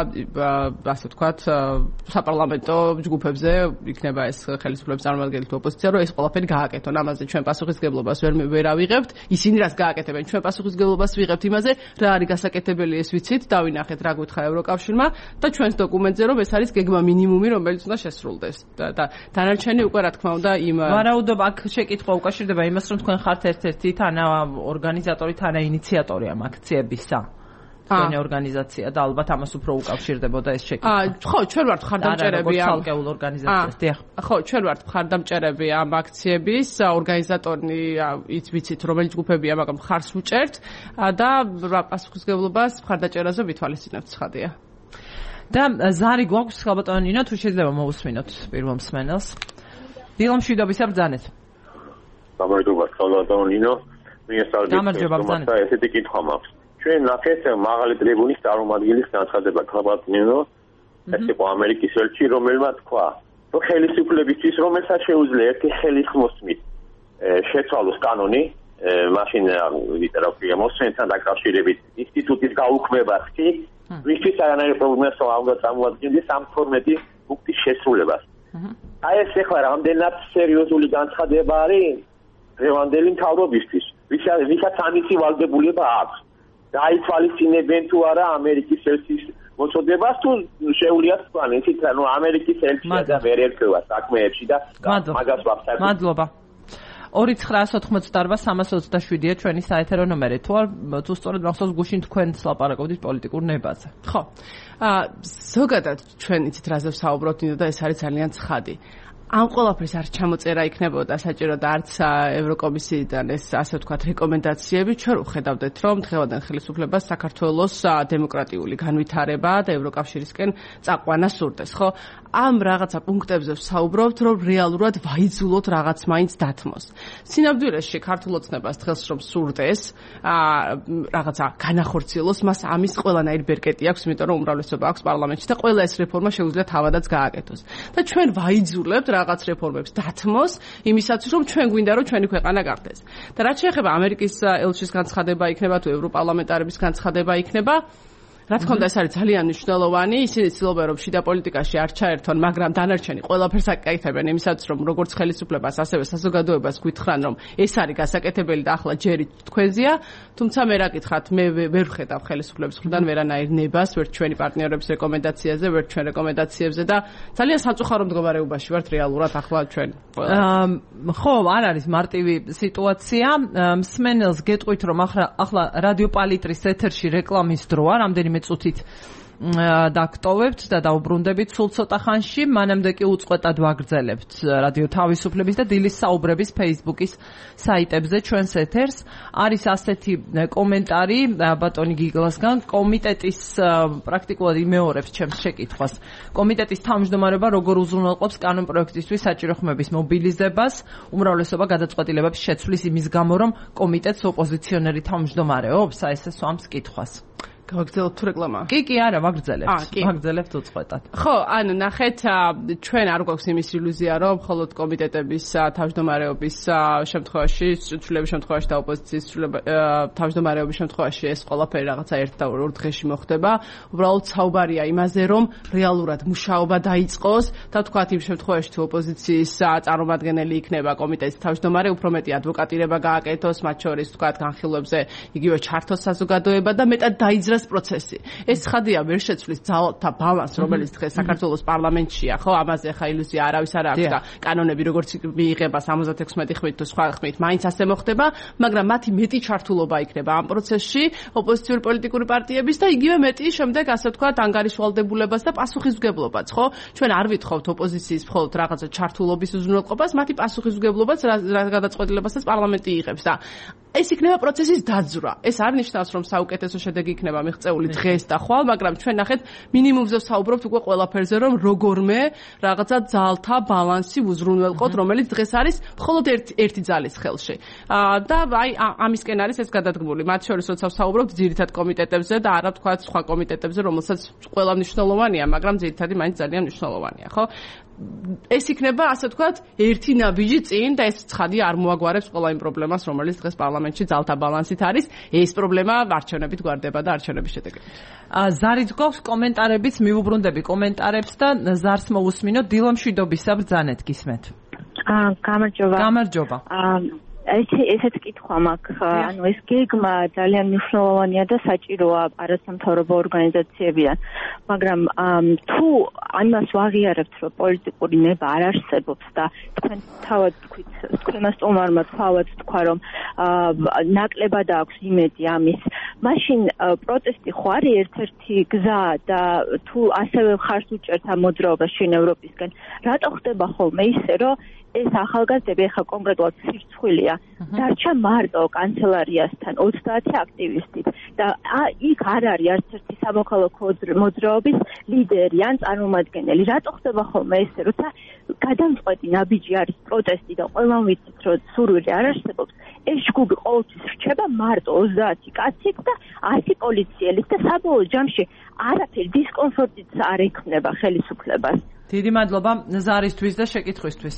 ასე ვთქვათ, საპარლამენტო ჯგუფებზე, იქნება ეს ხელისუფლების წარმომადგენელი თუ ოპოზიცია, რომ ეს ყველაფერი გააკეთონ. ამაზე ჩვენ პასუხისმგებლობას ვერ ავიღებთ, ისინი რას გააკეთებენ, ჩვენ პასუხისმგებლობას ვიღებთ იმაზე, რა არის გასაკეთებელი, ეს ვიცით, დავინახეთ რა გითხრა ევროკავშირმა და ჩვენს დოკუმენტზე, რომ ეს არის გეგმა მინიმუმი, რომელიც უნდა შესრულდეს და დანარჩენი უკვე რა თქმა უნდა იმ ვარაუდობ აქ შეკითხვა უკავშირდება იმას რომ თქვენ ხართ ერთ-ერთი ორგანიზატორი ინიციატორი ამ აქციებისა თქვენი ორგანიზაცია და ალბათ ამას უფრო უკავშირდებოდა ეს შეკითხვა ხო ჩვენ ვართ მხარდამჭერები ამ ცალკეულ ორგანიზაციას დიახ ხო ჩვენ ვართ მხარდამჭერები ამ აქციების ორგანიზატორი ვიცით რომელი ჯგუფებია მაგრამ მხარს უჭერთ და პასუხისმგებლობას მხარდაჭერაზე ვითვალისწინებთ ცხადია და ზარი გვაქვს ხალბატონო ნინო თუ შეიძლება მოусმინოთ პირველ მსმენელს დილამშვიდობის ბრძანეთ გამარჯობა ხალბატონო ნინო გამარჯობა ბრძანეთ ესეთი კითხვა მაქვს ჩვენ ნახეთ მაღალი ტრიბუნის წარმომადგენლის განცხადება ხალბატონო ნინო ეს იყო ამერიკის ელჩი რომელმაც თქვა რომ ხელისუფლებისთვის რომელსაც შეუძლია ერთი ხელის მოსმით შეცვალოს კანონი მაშინ ვიწერავ მოსმენთან დაკავშირებით ინსტიტუტის გაუქმებას კი ვისთვის არანაირი პრობლემას არ წარმოადგენს ამ 12 პუნქტის შესრულებას. აი ეს ახლა რამდენად სერიოზული განცხადება არის დღევანდელი მთავრობისთვის. ვისაც ამისი ვალდებულება აქვს. დაითვალისწინებენ თუ არა ამერიკის ელჩის მოწოდებას თუ შეუძლიათ თქვენ ისიც რომ ამერიკის ელჩია და ვერ ერქვა საქმეებში და მაგას ვახსენებ. მადლობა. 2988327-ია ჩვენი საეთერო ნომერი. თუ სწორედ მახსოვს გუშინ თქვენ ლაპარაკობდით პოლიტიკურ ნებაზე. ხო. ზოგადად ჩვენ იცით რაზე ვსაუბრობთ და ეს არის ძალიან ცხადი. ამ ყველაფერს არ ჩამოწერა იქნებოდა საჭირო და არც ევროკომისიიდან ეს ასე ვთქვათ რეკომენდაციები ჩვენ ვხედავდეთ რომ დღევანდელ ხელისუფლებას საქართველოს დემოკრატიული განვითარება და ევროკავშირისკენ წაყვანა სურდეს ხო ამ რაღაცა პუნქტებზე ვსაუბრობთ რომ რეალურად ვაიძულოთ რაღაც მაინც დათმოს სინამდვილეში ქართულ ოცნებას დღეს რომ სურდეს რაღაცა განახორციელოს მას ამის ყველანაირი ბერკეტი აქვს იმიტომ რომ უმრავლესობა აქვს პარლამენტში და ყველა ეს რეფორმა შეუძლია თავადაც გააკეთოს და ჩვენ ვაიძულებთ რაღაც რეფორმებს დათმოს იმისათვის რომ ჩვენ გვინდა რომ ჩვენი ქვეყანა გახდეს და რაც შეეხება ამერიკის ელჩის განცხადება იქნება თუ ევროპარლამენტარების განცხადება იქნება რა თქმა უნდა ეს არის ძალიან მნიშვნელოვანი ისინი ცდილობენ რომ შიდა პოლიტიკაში არ ჩაერთონ მაგრამ დანარჩენი ყველაფერს აკეთებენ იმისათვის რომ როგორც ხელისუფლებას ასევე საზოგადოებას გვითხრან რომ ეს არის გასაკეთებელი და ახლა ჯერი თქვენზეა თუმცა მე რა გითხრათ მე ვერ ვხედავ ხელისუფლების მხრიდან ვერანაირ ნებას ვერ ჩვენი პარტნიორების რეკომენდაციაზე ვერ ჩვენ რეკომენდაციებზე და ძალიან სამწუხარო მდგომარეობაში ვართ რეალურად ახლა ჩვენ ხო არ არის მარტივი სიტუაცია მსმენელს გეტყვით რომ ახლა რადიო პალიტრის ეთერში რეკლამის დროა რამდენიმე წუთით დაგტოვებთ და დაუბრუნდებით სულ ცოტა ხანში მანამდე კი უწყვეტად ვაგრძელებთ რადიო თავისუფლების და დილის საუბრების Facebook-ის საიტებზე ჩვენს ეთერს არის ასეთი კომენტარი ბატონი გიგლასგან კომიტეტის პრაქტიკულად იმეორებს ჩემს შეკითხვას კომიტეტის თავმჯდომარეობა როგორ უზრუნველყოფს კანონპროექტისთვის საჭირო ხმების მობილიზებას უმრავლესობა გადაწყვეტილებებს შეცვლის იმის გამო რომ კომიტეტს ოპოზიციონერი თავმჯდომარეობს ეს სვამს კითხვას გავაგრძელებთ თუ რეკლამა? კი, არა, ვაგრძელებთ უწყვეტად. ხო, ანუ ნახეთ, ჩვენ არ გვაქვს იმის ილუზია, რომ მხოლოდ კომიტეტების თავმჯდომარეობის შემთხვევაში, ცვლილების შემთხვევაში და ოპოზიციის თავმჯდომარეობის შემთხვევაში ეს ყველაფერი რაღაცა ერთ და ორ დღეში მოხდება. უბრალოდ საუბარია იმაზე, რომ რეალურად მუშაობა დაიწყოს და თქვათ იმ შემთხვევაში თუ ოპოზიციის წარმომადგენელი იქნება კომიტეტის თავმჯდომარე, უფრო მეტი ადვოკატირება გააკეთოს, მათ შორის თქვათ განხილვებზე იგივე ჩართოს საზოგადოება და მეტად დაიძრას პროცესი. ეს ცხადია ვერ შეცვლის ძალთა ბალანს, რომელიც დღეს საქართველოს პარლამენტშია, ხო? ამაზე ხა ილუზია არავის არ აქვს და კანონები როგორც მიიღება 76 ხმით თუ სხვა ხმით, მაინც ასე მოხდება, მაგრამ მათი მეტი ჩართულობა იქნება ამ პროცესში ოპოზიციური პოლიტიკური პარტიების და იგივე მეტი შემდეგ ასე ვთქვათ ანგარიშვალდებულებას და პასუხისმგებლობას, ხო? ჩვენ არ ვითხოვთ ოპოზიციის მხოლოდ რაღაცა ჩართულობის უზრუნველყოფას, მათი პასუხისმგებლობაც რა გადაწყვეტილებასაც პარლამენტი იღებს და ეს იქნება პროცესის დაძვრა. ეს არ ნიშნავს, რომ საუკეთესო შედეგი იქნება მიღწეული დღეს და ხვალ, მაგრამ ჩვენ ნახეთ მინიმუმზე ვსაუბრობთ უკვე ყველაფერზე, რომ როგორმე რაღაცა ძალთა ბალანსი უზრუნველყოთ, რომელიც დღეს არის მხოლოდ ერთი ძალის ხელში. და აი ამისკენ არის ეს გადადგმული. მათ შორის როცა ვსაუბრობთ ძირითად კომიტეტებზე და არა თქვა სხვა კომიტეტებზე, რომელსაც ყველა მნიშვნელოვანია, მაგრამ ძირითადი მაინც ძალიან მნიშვნელოვანია, ხო? ეს იქნება, ასე ვთქვათ, ერთი ნაბიჯი წინ და ეს ცხადი არ მოაგვარებს ყველა იმ პრობლემას, რომელიც დღეს პარლამენტში ძალთა ბალანსით არის. ეს პრობლემა არჩევნებით გვარდება და არჩევნების შედეგებით. ზარიც გვაქვს კომენტარებიც, მივუბრუნდები კომენტარებს და ზარს მოусმინოთ დილომშვიდობისა ბრძანეთ გისმენთ. გამარჯობა. ესეც კითხვა მაქვს, ანუ ეს გეგმა ძალიან მნიშვნელოვანია და საჭიროა არასამთავრობო ორგანიზაციებიდან, მაგრამ თუ ამას ვაღიარებთ, რომ პოლიტიკური ნება არ არსებობს და თქვენ თავად თქვით, თქვენმა სტუმარმა თავად თქვა, რომ ნაკლებად აქვს იმედი ამის, მაშინ პროტესტი ხო არის ერთ-ერთი გზა და თუ ასევე ხარს უჭერთ ამ მოძრაობას შინ ევროპისგან, რატო ხდება ხოლმე ისე, რომ ეს ახალგაზრდები ახლა კონკრეტულად სირცხვილია დარჩა მარტო კანცელარიასთან 30 აქტივისტით და იქ არ არის არც ერთი სამოქალაქო მოძრაობის ლიდერი ან წარმომადგენელი. რატო ხდება ხოლმე ესე, როცა გადამწყვეტი ნაბიჯი არის პროტესტი და ყველამ ვიცით, რომ სურვილი არ არსებობს, ეს ჯგუფი ყოველთვის რჩება მარტო 30 კაცით და 100 პოლიციელით და საბოლოო ჯამში არაფერი დისკომფორტიც არ ექმნება ხელისუფლებას. დიდი მადლობა ზარისთვის და შეკითხვისთვის.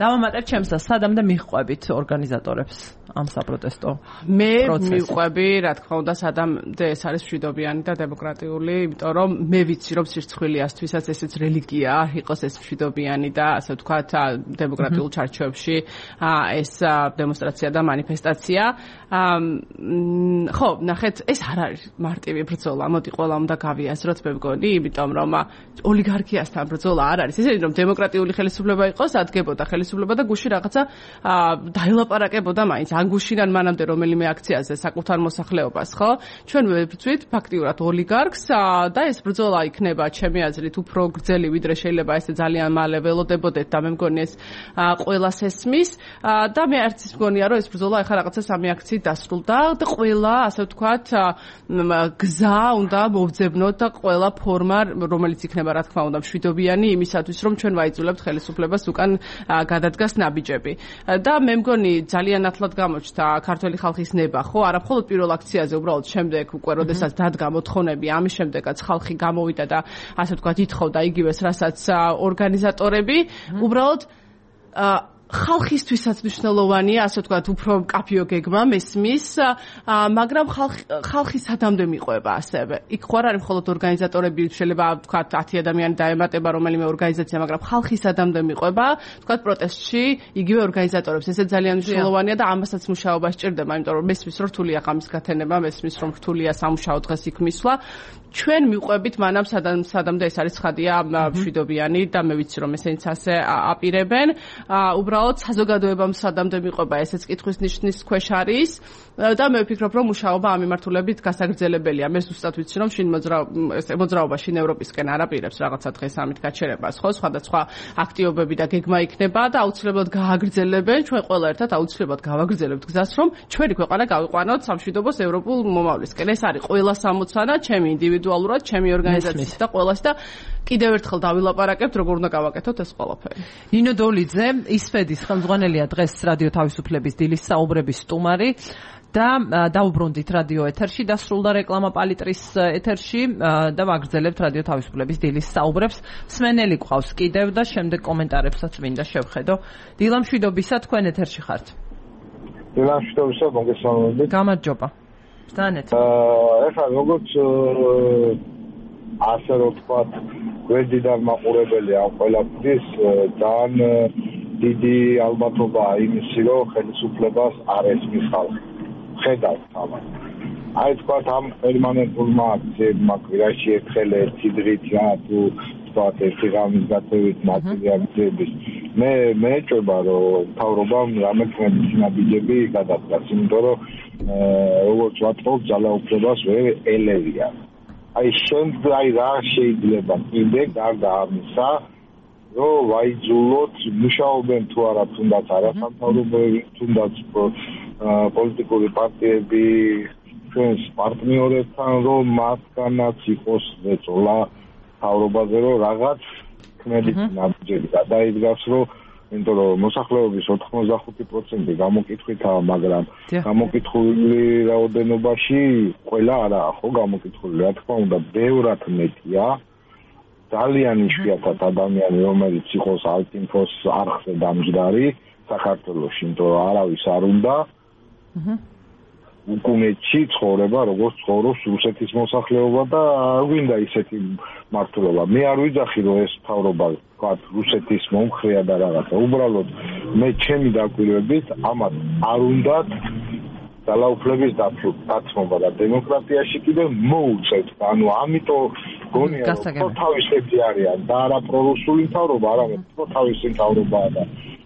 დავამატებ ჩემს და სადამდე მიხვებით ორგანიზატორებს ამ საპროტესტო პროცესს. მე მიყვები, რა თქმა უნდა, სადამდე ეს არის მშვიდობიანი და დემოკრატიული, იმიტომ რომ მე ვიცი, რომ სირცხვილიასთვისაც ესეც რელიგიაა, იყოს ეს მშვიდობიანი და ასე ვთქვათ, დემოკრატიულ ჩარჩოებში ეს დემონსტრაცია და მანიფესტაცია. ხო, ნახეთ, ეს არ არის მარტივი ბრძოლა, მოდი ყველა უნდა გავიაზროთ, მე მგონი, იმიტომ რომ ოლიგარქიასთან ბრძოლა არ არის. ისე რომ დემოკრატიული ხელისუფლება იყოს, ადგებოდა ხელისუფლება და გუში რაღაცა დაილაპარაკებოდა მაინც ან გუშინან მანამდე რომელიმე აქციაზე საკუთარ მოსახლეობას, ხო? ჩვენ ვებრძვით ფაქტიურად ოლიგარქს და ეს ბრძოლა იქნება ჩემი აზრით უფრო გრძელი, ვიდრე შეიძლება ესე ძალიან მალე ველოდებოდეთ და მე მგონი ეს ყველას ესმის და მე არც ის მგონია რომ ეს ბრძოლა ახლა რაღაცა სამი აქციით დასრულდა და ყველა, ასე ვთქვათ, გზა უნდა მოვძებნოთ და ყველა ფორმა, რომელიც იქნება, რა თქმა უნდა, მშვიდობიანი იმისათვის, რომ ჩვენ ვაიძულებთ ხელისუფლებას უკან გადადგას ნაბიჯები. და მე მგონი ძალიან ათლად გამოჩნდა ქართველი ხალხის ნება, ხო? არა მხოლოდ პირველ აქციაზე, უბრალოდ შემდეგ უკვე, როდესაც დადგა მოთხოვნები, ამის შემდეგაც ხალხი გამოვიდა და ასე ვთქვათ, ითხოვდა იგივეს, რასაც ორგანიზატორები, უბრალოდ ხალხისთვისაც მნიშვნელოვანია, ასე ვთქვათ, უფრო მკაფიო გეგმა მესმის, მაგრამ ხალხი სადამდე მიყვება ასევე. იქ ხო არ არის მხოლოდ ორგანიზატორები, შეიძლება ვთქვათ 10 ადამიანი დაემატება რომელიმე ორგანიზაცია, მაგრამ ხალხი სადამდე მიყვება, ვთქვათ პროტესტში იგივე ორგანიზატორებს. ესე ძალიან მნიშვნელოვანია და ამასაც მუშაობა სჭირდება, იმიტომ რომ მესმის რომ რთულია ღამის გათენება, მესმის რომ რთულია სამუშაო დღეს იქ მისვლა. ჩვენ მიყვებით მანამ სადამდე ეს არის ცხადია მშვიდობიანი და მე ვიცი რომ ესენიც ასე აპირებენ. უბრალოდ საზოგადოებამ სადამდე მიყვება ესეც კითხვის ნიშნის ქვეშ არის და მე ვფიქრობ რომ მუშაობა ამ მიმართულებით გასაგრძელებელია. მე ზუსტად ვიცი რომ შინ მოძრაობა შინ ევროპისკენ არ აპირებს რაღაცა დღეს ამით გაჩერებას, ხო? სხვადასხვა აქტივობები და გეგმა იქნება და აუცილებლად გააგრძელებენ. ჩვენ ყველა ერთად აუცილებლად გავაგრძელებთ გზას რომ ჩვენი ქვეყანა გავიყვანოთ სამშვიდობოს ევროპულ მომავლისკენ. ეს არის ყველა სამოცანა, ჩემი ინდივიდუალურად, ჩემი ორგანიზაციის და ყველას და კიდევ ერთხელ დავილაპარაკებთ, როგორ უნდა გავაკეთოთ ეს ყველაფერი. ნინო დოლიძე, ისფედის ხელმძღვანელია დღეს რადიო თავისუფლების დილის საუბრების სტუმარი და დაუბრუნდით რადიო ეთერში, დასრულდა რეკლამა პალიტრის ეთერში და ვაგრძელებთ რადიო თავისუფლების დილის საუბრებს. სმენელი გვყავს კიდევ და შემდეგ კომენტარებსაც მინდა შევხედო. დილამშვიდობისა, თქვენ ეთერში ხართ. დილამშვიდობისა, მოგესალმებით. გამარჯობა. ბრძანეთ. ეხლა როგორც ასე რომ ვთქვათ, გვერდიდან მაყურებელი ამ ყველაფრის ძალიან დიდი ალბათობაა იმისი, რომ ხელისუფლებას არ ესმის ხალხი. ხედავთ ამას. აი თქვათ ამ პერმანენტულმა აქციებმა კვირაში ერთხელ ერთი დღით რა თუ თქვათ ერთი ღამის გათევით ნაწილი აქციების მე ეჭვება რომ მთავრობამ რამე ხმების ნაბიჯები გადადგას, იმიტომ რომ როგორც ვატყობ ძალაუფლებას ვერ ელევია. აი აი რა შეიძლება კიდე გარდა ამისა რომ ვაიძულოთ მუშაობენ თუ არა თუნდაც არასამთავრობოები თუნდაც პოლიტიკური პარტიები ჩვენს პარტნიორებთან, რომ მათგანაც იყოს ზეწოლა თავრობაზე, რომ რაღაც ქმედით ნაბიჯები გადაიდგას, რომ იმიტომ რომ მოსახლეობის 85% გამოკითხვითაა, მაგრამ გამოკითხული რაოდენობაში ყველა არაა ხო გამოკითხული, რა თქმა უნდა, ბევრად მეტია. ძალიან იშვიათად ადამიანი, რომელიც იყოს ალტინფოს არხზე დამჯდარი საქართველოში, იმიტომ რომ არავის არ უნდა უკუნეთში ცხოვრება, როგორც ცხოვრობს რუსეთის მოსახლეობა და არ გვინდა ისეთი მართლობა. მე არ ვიძახი, რომ ეს მთავრობა ვთქვათ რუსეთის მომხრეა და რაღაცა. უბრალოდ მე ჩემი დაკვირვებით ამათ არ უნდათ ძალაუფლების დაცმობა და დემოკრატიაში კიდევ მოუწევთ. ანუ ამიტომ გონია რომ თავისები არიან და არა პრორუსული მთავრობა, არამედ თავისი მთავრობაა და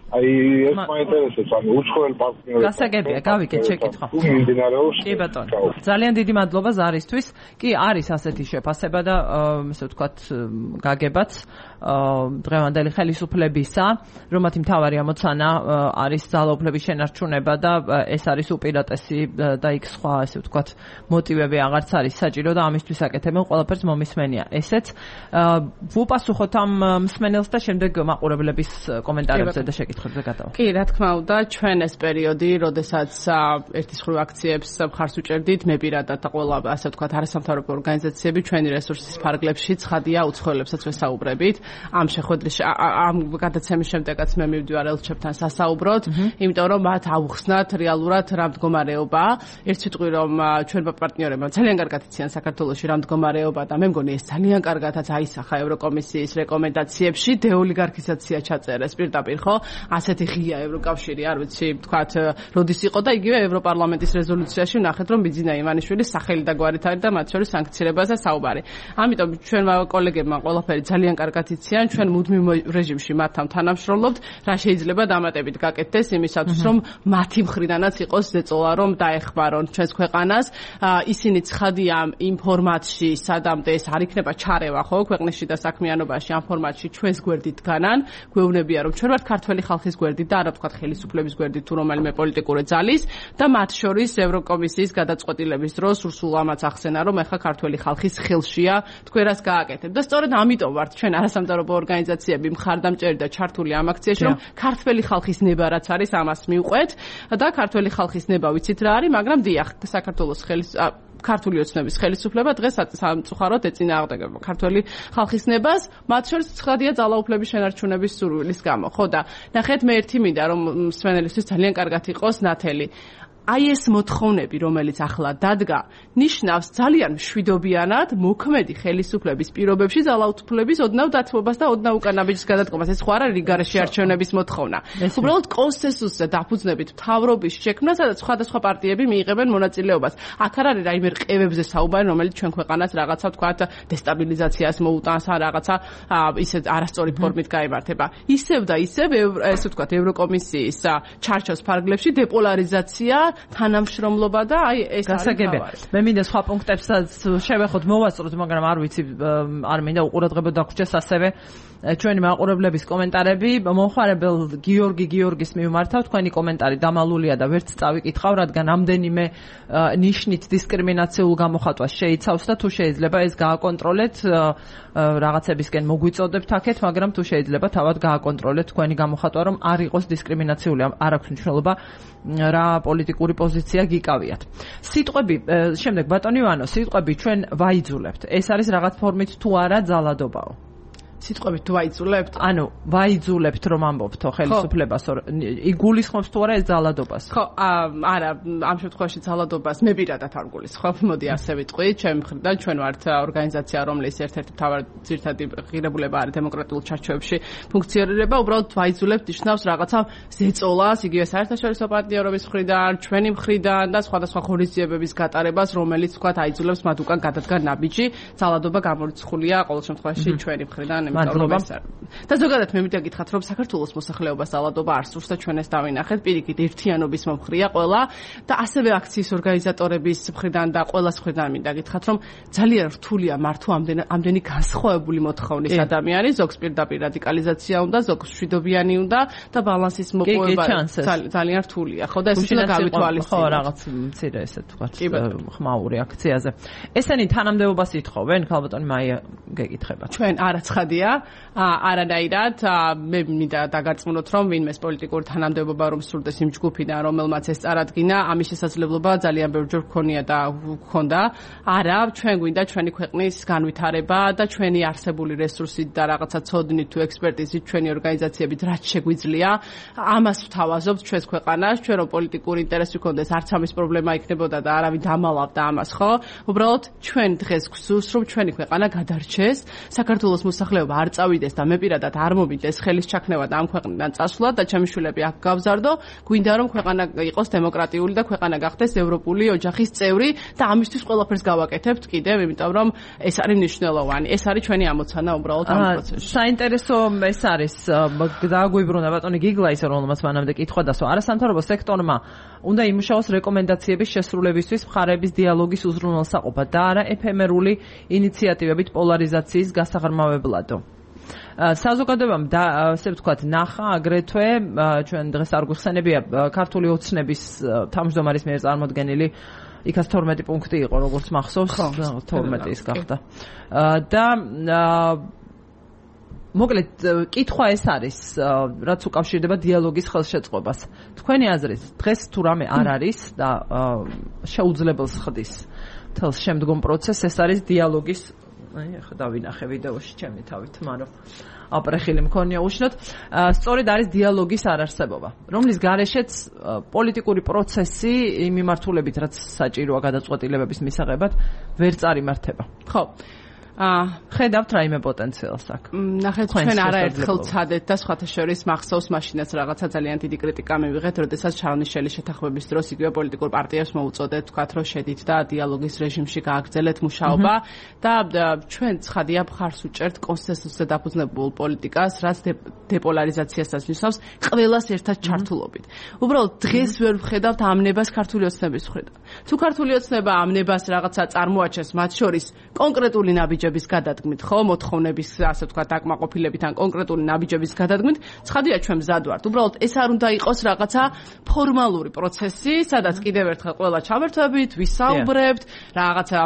აი ეს მაინტერესებს, ანუ უცხოელ პარტნიორებს. გასაგებია, გავიგეთ შეკითხვა. კი ბატონო. ძალიან დიდი მადლობა ზარისთვის. კი, არის ასეთი შეფასება და ესე ვთქვათ, გაგებაც დღევანდელი ხელისუფლებისა, რომ მათი მთავარი ამოცანა არის ძალაუფლების შენარჩუნება და ეს არის უპირატესი და იქ სხვა, ესე ვთქვათ, მოტივები აღარც არის საჭირო და ამისთვის აკეთებენ ყველაფერს მომისმენია. ესეც ვუპასუხოთ ამ მსმენელს და შემდეგ მაყურებლების კომენტარებზე და შეკითხვებზე გადავალ. კი, რა თქმა უნდა, ჩვენ ეს პერიოდი, როდესაც ერთის ხრივ აქციებს მხარს უჭერდით, მე პირადად და ყველა, ასე ვთქვათ, არასამთავრობო ორგანიზაციები ჩვენი რესურსის ფარგლებში ცხადია უცხოელებსაც ვესაუბრებით. ამ შეხვედრის ამ გადაცემის შემდეგაც მე მივდივარ ელჩებთან სასაუბროდ, იმიტომ რომ მათ აუხსნათ რეალურად რა მდგომარეობაა. ერთ სიტყვი რომ ჩვენმა პარტნიორებმა ძალიან კარგად იციან საქართველოში რა მდგომარეობა და მე მგონი ეს ძალიან კარგადაც აისახა ევროკომისიის რეკომენდაციებში, დეოლიგარქიზაცია ჩაწერეს პირდაპირ, ხო? ასეთი ღია ევროკავშირი, არ ვიცი, ვთქვათ, როდის იყო და იგივე ევროპარლამენტის რეზოლუციაში ვნახეთ, რომ ბიძინა ივანიშვილის სახელი და გვარით არის და მათ შორის სანქციებაზე საუბარი. ამიტომ ჩვენმა კოლეგებმა ყველაფერი ძალიან კარგად იციან, ჩვენ მუდმივ რეჟიმში მათთან თანამშრომლობთ, რა შეიძლება დამატებით გაკეთდეს იმისათვის, რომ მათი მხრიდანაც იყოს ზეწოლა, რომ დაეხმარონ ჩვენს ქვეყანას. ისინი ცხადია იმ ფორმატში, სადამდე ეს არ იქნება ჩარევა, ხო, ქვეყნის შიდა საქმიანობაში, ამ ფორმატში ჩვენს გვერდით განან, გვეუბნებია, რომ ჩვენ ვართ ქართველი ხალხის გვერდით და არა ვთქვათ ხელისუფლების გვერდით თუ რომელიმე პოლიტიკური ძალის და მათ შორის ევროკომისიის გადაწყვეტილების დროს სულ ამაც ახსენა, რომ ეხლა ქართველი ხალხის ხელშია თქვენ რას გააკეთებთ. და სწორედ ამიტომ ვართ ჩვენ არასამთავრობო ორგანიზაციები მხარდამჭერი და ჩართული ამ აქციაში, რომ ქართველი ხალხის ნება რაც არის, ამას მივყვეთ და ქართველი ხალხის ნება ვიცით რა არის, მაგრამ დიახ, საქართველოს ქართული ოცნების ხელისუფლება დღეს სამწუხაროდ ეწინააღმდეგება ქართველი ხალხის ნებას, მათ შორის ცხადია ძალაუფლების შენარჩუნების სურვილის გამო. ხო და ნახეთ, მე ერთი მინდა რომ მსმენელისთვის ძალიან კარგად იყოს ნათელი. აი ეს მოთხოვნები, რომელიც ახლა დადგა, ნიშნავს ძალიან მშვიდობიანად მოქმედი ხელისუფლების პირობებში ძალაუფლების ოდნავ დათმობას და ოდნავ უკანაბიჯის გადადგომას. ეს ხო არ არის გარეშე არჩევნების მოთხოვნა. უბრალოდ კონსენსუსზე დაფუძნებით მთავრობის შექმნა, სადაც სხვადასხვა პარტიები მიიღებენ მონაწილეობას. აქ არ არის რაიმე რყევებზე საუბარი, რომელიც ჩვენ ქვეყანას რაღაცა ვთქვათ დესტაბილიზაციას მოუტანს, რაღაცა ისე არასწორი ფორმით გაიმართება. ისევ და ისევ ესე ვთქვათ ევროკომისიის ჩარჩოს ფარგლებში დეპოლარიზაცია, თანამშრომლობა და აი ეს გასაგებია. მე მინდა სხვა პუნქტებსაც შევეხოთ, მოვასწროთ, მაგრამ არ ვიცი, არ მინდა უყურადღება დაგვრჩეს ასევე ჩვენი მაყურებლების კომენტარები. მომხარებელ გიორგი გიორგის მიმართავ, თქვენი კომენტარი დამალულია და ვერც წავიკითხავ, რადგან ამდენიმე ნიშნით დისკრიმინაციულ გამოხატვას შეიცავს და თუ შეიძლება ეს გააკონტროლეთ, რაღაცებისკენ მოგვიწოდებთ აქეთ, მაგრამ თუ შეიძლება თავად გააკონტროლეთ თქვენი გამოხატვა, რომ არ იყოს დისკრიმინაციული, არ აქვს მნიშვნელობა რა პოლიტიკური პოზიცია გიკავიათ. სიტყვები, შემდეგ ბატონი ივანო, სიტყვები ჩვენ ვაიძულებთ. ეს არის რაღაც ფორმით თუ არა ძალადობაო? სიტყვებით თუ ვაიძულებთ? ანუ ვაიძულებთ რომ ამბობთო ხელისუფლებას, იგულისხმობს თუ არა ეს ძალადობას? ხო, არა, ამ შემთხვევაში ძალადობას მე პირადად არ გულისხმობ. მოდი ასე ვიტყვი, ჩემი მხრიდან ჩვენ ვართ ორგანიზაცია, რომლის ერთ-ერთი მთავარი ძირითადი ღირებულება არის დემოკრატიულ ჩარჩოებში ფუნქციონირება. უბრალოდ ვაიძულებთ ნიშნავს რაღაცა ზეწოლას, იგივე საერთაშორისო პარტნიორობის მხრიდან, ჩვენი მხრიდან და სხვადასხვა ღონისძიებების გატარებას, რომელიც თქვათ აიძულებს მათ უკან გადადგან ნაბიჯი. ძალადობა გამორიცხულია ყოველ შემთხვევაში ჩვენი მხრიდან. იმიტომ რომ და ზოგადად მე მინდა გითხრათ რომ საქართველოს მოსახლეობას ალადობა არ სურს და ჩვენ ეს დავინახეთ პირიქით ერთიანობის მომხრია ყველა და ასევე აქციის ორგანიზატორების მხრიდან და ყველას მხრიდან მინდა გითხრათ რომ ძალიან რთულია მართლა ამდენი განსხვავებული მოთხოვნის ადამიანი ზოგს პირდაპირ რადიკალიზაცია უნდა ზოგს მშვიდობიანი უნდა და ბალანსის მოპოვება ძალიან რთულია ხო და ეს უნდა გავითვალისწინოთ ხო რაღაც მცირე ესე თქვათ ხმაური აქციაზე ესენი თანამდებობას ითხოვენ ქალბატონი მაია გეკითხება ჩვენ არაცხადია არანაირად მე მინდა დაგარწმუნოთ რომ ვინმეს პოლიტიკური თანამდებობა რომ სურდეს იმ ჯგუფიდან რომელმაც ეს წარადგინა ამის შესაძლებლობა ძალიან ბევრჯერ გქონია და გქონდა არა ჩვენ გვინდა ჩვენი ქვეყნის განვითარება და ჩვენი არსებული რესურსით და რაღაცა ცოდნით თუ ექსპერტიზით ჩვენი ორგანიზაციებით რაც შეგვიძლია ამას ვთავაზობთ ჩვენს ქვეყანას ჩვენ რომ პოლიტიკური ინტერესი გქონდეს არც ამის პრობლემა იქნებოდა და არავინ დამალავდა ამას ხო უბრალოდ ჩვენ დღეს გვსურს რომ ჩვენი ქვეყანა გადარჩეს საქართველოს მოსახლეობა არ წავიდეს და მე პირადად არ მომიტეს ხელის ჩაქნევა და ამ ქვეყნიდან წასვლა და ჩემი შვილები აქ გავზარდო გვინდა რომ ქვეყანა იყოს დემოკრატიული და ქვეყანა გახდეს ევროპული ოჯახის წევრი და ამისთვის ყველაფერს გავაკეთებთ კიდევ იმიტომ რომ ეს არის მნიშვნელოვანი ეს არის ჩვენი ამოცანა უბრალოდ ამ პროცესში საინტერესო ეს არის დააგვიბრუნა ბატონი გიგლა ისე რომელმაც მანამდე კითხვა დასვა არასამთავრობო სექტორმა უნდა იმუშაოს რეკომენდაციების შესრულებისთვის მხარეების დიალოგის უზრუნველსაყოფად და არა ეფემერული ინიციატივებით პოლარიზაციის გასაღრმავებლადო საზოგადოებამ და ასე ვთქვათ ნახა აგრეთვე ჩვენ დღეს არ გვიხსენებია ქართული ოცნების თავმჯდომარის მიერ წარმოდგენილი იქაც 12 პუნქტი იყო როგორც მახსოვს 12 ის გახდა და მოკლედ კითხვა ეს არის რაც უკავშირდება დიალოგის ხელშეწყობას თქვენი აზრით დღეს თუ რამე არ არის და შეუძლებელს ხდის თელს შემდგომ პროცესს ეს არის დიალოგის აი ახლა დავინახე ვიდეოში ჩემი თავით მაგრამ აპრეხილი მქონია უშნოდ სწორედ არის დიალოგის არარსებობა რომლის გარეშეც პოლიტიკური პროცესი იმ მიმართულებით რაც საჭიროა გადაწყვეტილებების მისაღებად ვერ წარიმართება ხო ხედავთ რაიმე პოტენციალს აქ. ნახეთ ჩვენ არაერთხელ ცადეთ და სხვათა შორის მახსოვს მაშინაც რაღაცა ძალიან დიდი კრიტიკა მივიღეთ, როდესაც ჩარლნიშელის შეთანხმების დროს იგივე პოლიტიკურ პარტიებს მოუწოდეთ თქვათ რომ შედით და დიალოგის რეჟიმში გააგრძელეთ მუშაობა და ჩვენ ცხადია მხარს უჭერთ კონსენსუსზე დაფუძნებულ პოლიტიკას, რაც დეპოლარიზაციასაც ნიშნავს ყველას ერთად ჩართულობით. უბრალოდ დღეს ვერ ვხედავთ ამნებას ქართული ოცნების მხრიდან. თუ ქართული ოცნება ამნებას რაღაცა წარმოაჩენს მათ შორის კონკრეტული ნაბიჯების გადადგმით, ხო, მოთხოვნების, ასე ვთქვათ, აკმაყოფილებით ან კონკრეტული ნაბიჯების გადადგმით, ცხადია ჩვენ მზად ვართ. უბრალოდ ეს არ უნდა იყოს რაღაცა ფორმალური პროცესი, სადაც კიდევ ერთხელ ყველა ჩავერთვებით, ვისაუბრებთ, რაღაცა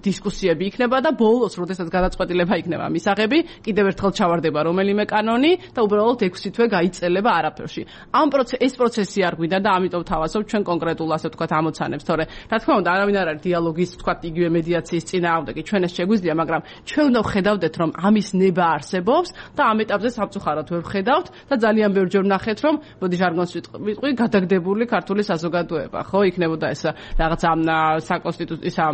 დისკუსიები იქნება და ბოლოს, როდესაც გადაწყვეტილება იქნება მისაღები, კიდევ ერთხელ ჩავარდება რომელიმე კანონი და უბრალოდ 6 თვე გაიწელება არაფერში. ეს პროცესი არ გვინდა და ამიტომ თავაზობ ჩვენ კონკრეტულ, ასე ვთქვათ, ამოცანებს, თორე რა თქმა უნდა, არავინ არ არის დიალოგის, ვთქვათ, იგივე მედიაციის წინააღმდეგი, ჩვენ ეს შეგვიძლია, მაგრამ ჩვენ უნდა ვხედავდეთ, რომ ამის ნება არსებობს და ამ ეტაპზე სამწუხაროდ ვერ ვხედავთ და ძალიან ბევრჯერ ვნახეთ, რომ მოდი ჟარგონს ვიტყვი, გადაგდებული ქართული საზოგადოება, ხო, იქნებოდა ეს რაღაცა საკონსტიტუციო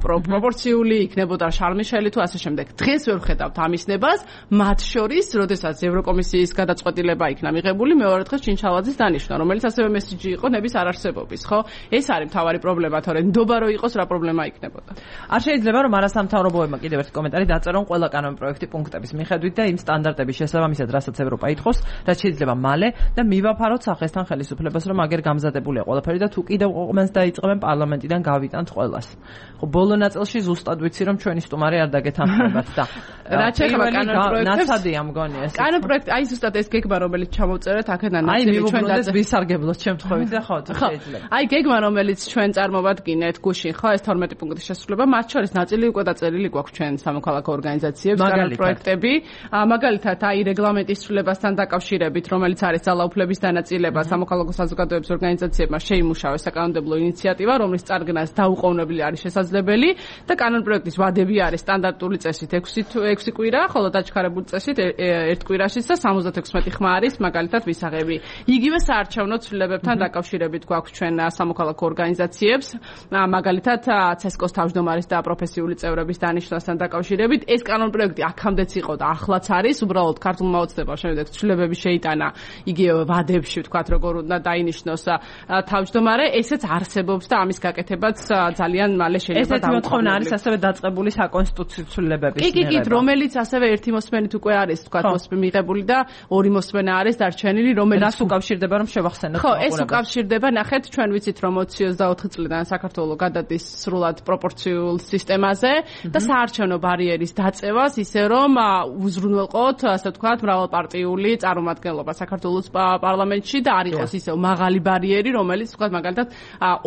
პროპორციული, იქნებოდა შარლ-მიშელი თუ ასე შემდეგ. დღეს ვერ ვხედავთ ამის ნებას, მათ შორის, როდესაც ევროკომისიის გადაწყვეტილება იქნა მიღებული, მეორე დღეს ჩინჩალაძის დანიშვნა, რომელიც ასევე მესიჯი იყო ნების არარსებობის, ხო? ეს არის მთავარი პრობლემა, თორე ნდობა რო იყოს, რა პრობლემა იქნებოდა. არ შეიძლება რომ არასამთავრობოებმა კიდევ ერთი კომენტარი დაწერონ ყველა კანონპროექტი პუნქტების მიხედვით და იმ სტანდარტების შესაბამისად, რასაც ევროპა ითხოვს, რაც შეიძლება მალე და მივაფაროთ სახესთან ხელისუფლებას, რომ აგერ გამზადებულია ყველაფერი და თუ კიდევ ყომენს დაიწყებენ პარლამენტიდან გავიტანთ ყველას. ხო, ბოლო ნაწილში ზუსტად ვიცი, რომ ჩვენი სტუმარი არ დაგეთანხმებათ და რა შეიძლება კანონპროექტებს ნაცადია მგონი ეს. კანონპროექტი, აი ზუსტად ეს გეგმა, რომელიც ჩამოვწერეთ აქედან ნაწილი ჩვენ ვისარგებლოთ შემთხვევით და ხო, შეიძლება. აი გეგმა, რომელიც ჩვენ წარმოვადგინეთ გუშინ, ხო, ეს 12 პუნქტის შესრულება, მათ შორის ნაწილი უკვე დაწერილი გვაქვს ჩვენ სამოქალაქო ორგანიზაციებს, კანონპროექტები, მაგალითად აი რეგლამენტის ცვლილებასთან დაკავშირებით, რომელიც არის ძალაუფლების დანაწილება სამოქალაქო საზოგადოების ორგანიზაციებმა შეიმუშავეს საკანონმდებლო ინიციატივა, რომლის წარგნას დაუყოვნებელი არის შესაძლებელი და კანონპროექტის ვადები არის სტანდარტული წესით 6 კვირა, ხოლო დაჩქარებული წესით 1 კვირაშიც და 76 ხმა არის მაგალითად ვისაღები. იგივე საარჩევნო ცვლილებებთან დაკავშირებით გვაქვს ჩვენ სამოქალაქო ორგანიზაციებს, მაგალითად ცესკოს თავმჯდომარის და პროფესიული წევრების დანიშვნა აღნიშვნასთან დაკავშირებით ეს კანონპროექტი აქამდეც იყო და ახლაც არის, უბრალოდ ქართულმა ოცნებამ შემდეგ ცვლილებები შეიტანა იგივე ვადებში, ვთქვათ, როგორ უნდა დაინიშნოს თავმჯდომარე, ესეც არსებობს და ამის გაკეთებაც ძალიან მალე შეიძლება ესეთი მოთხოვნა არის ასევე დაწყებული საკონსტიტუციო ცვლილებების მიერ. კი, რომელიც ასევე ერთი მოსმენით უკვე არის, ვთქვათ, მიღებული და ორი მოსმენა არის დარჩენილი, რომელიც რას უკავშირდება რომ შევახსენოთ. ხო, ეს უკავშირდება, ნახეთ, ჩვენ ვიცით რომ 24 წლიდან საქართველოს გადადის სრულად პროპორციულ სისტემაზე და საარჩევნო ბარიერის დაწევას ისე რომ უზრუნველყოთ, ასე ვთქვათ, მრავალპარტიული წარმომადგენლობა საქართველოს პარლამენტში და არ იყოს ისე მაღალი ბარიერი, რომელიც ვთქვათ, მაგალითად,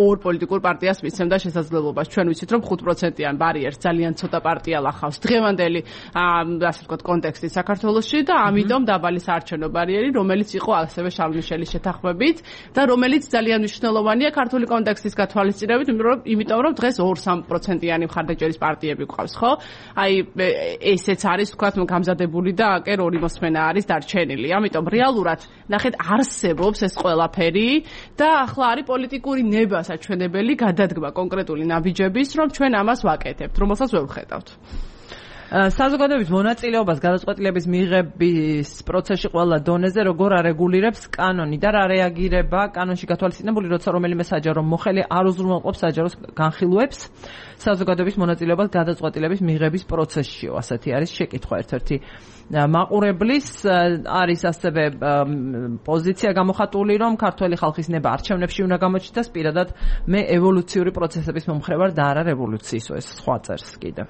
ორ პოლიტიკურ პარტიას მისცემდა შესაძლებლობას. ჩვენ ვიცით რომ 5%-იან ბარიერს ძალიან ცოტა პარტია ლახავს დღევანდელი, ასე ვთქვათ, კონტექსტით საქართველოში და ამიტომ დაბალი საარჩევნო ბარიერი, რომელიც იყო ასევე შარლ მიშელის შეთანხმებით და რომელიც ძალიან მნიშვნელოვანია ქართული კონტექსტის გათვალისწინებით, იმიტომ რომ დღეს 2-3%-იანი მხარდაჭერის პარტიები გვყავს, ხო? აი ესეც არის, ვთქვათ, გამზადებული და აკერ ორი მოსმენა არის დარჩენილი. ამიტომ რეალურად ნახეთ არსებობს ეს ყველაფერი და ახლა არის პოლიტიკური ნება საჩვენებელი გადადგმა კონკრეტული ნაბიჯების, რომ ჩვენ ამას ვაკეთებთ, რომელსაც ვერ ვხედავთ. საზოგადოების მონაწილეობას გადაწყვეტილების მიღების პროცესში ყველა დონეზე როგორ არეგულირებს კანონი და რა რეაგირება კანონში გათვალისწინებული, როცა რომელიმე საჯარო მოხელი არ უზრუნველყოფს საჯაროს განხილვებს საზოგადოების მონაწილეობას გადაწყვეტილების მიღების პროცესშიო. ასეთი არის შეკითხვა ერთ-ერთი მაყურებლის. არის ასევე პოზიცია გამოხატული, რომ ქართველი ხალხის ნება არჩევნებში უნდა გამოჩნდეს, პირადად მე ევოლუციური პროცესების მომხრე ვარ და არა რევოლუციის, ეს სხვა წერს კიდევ.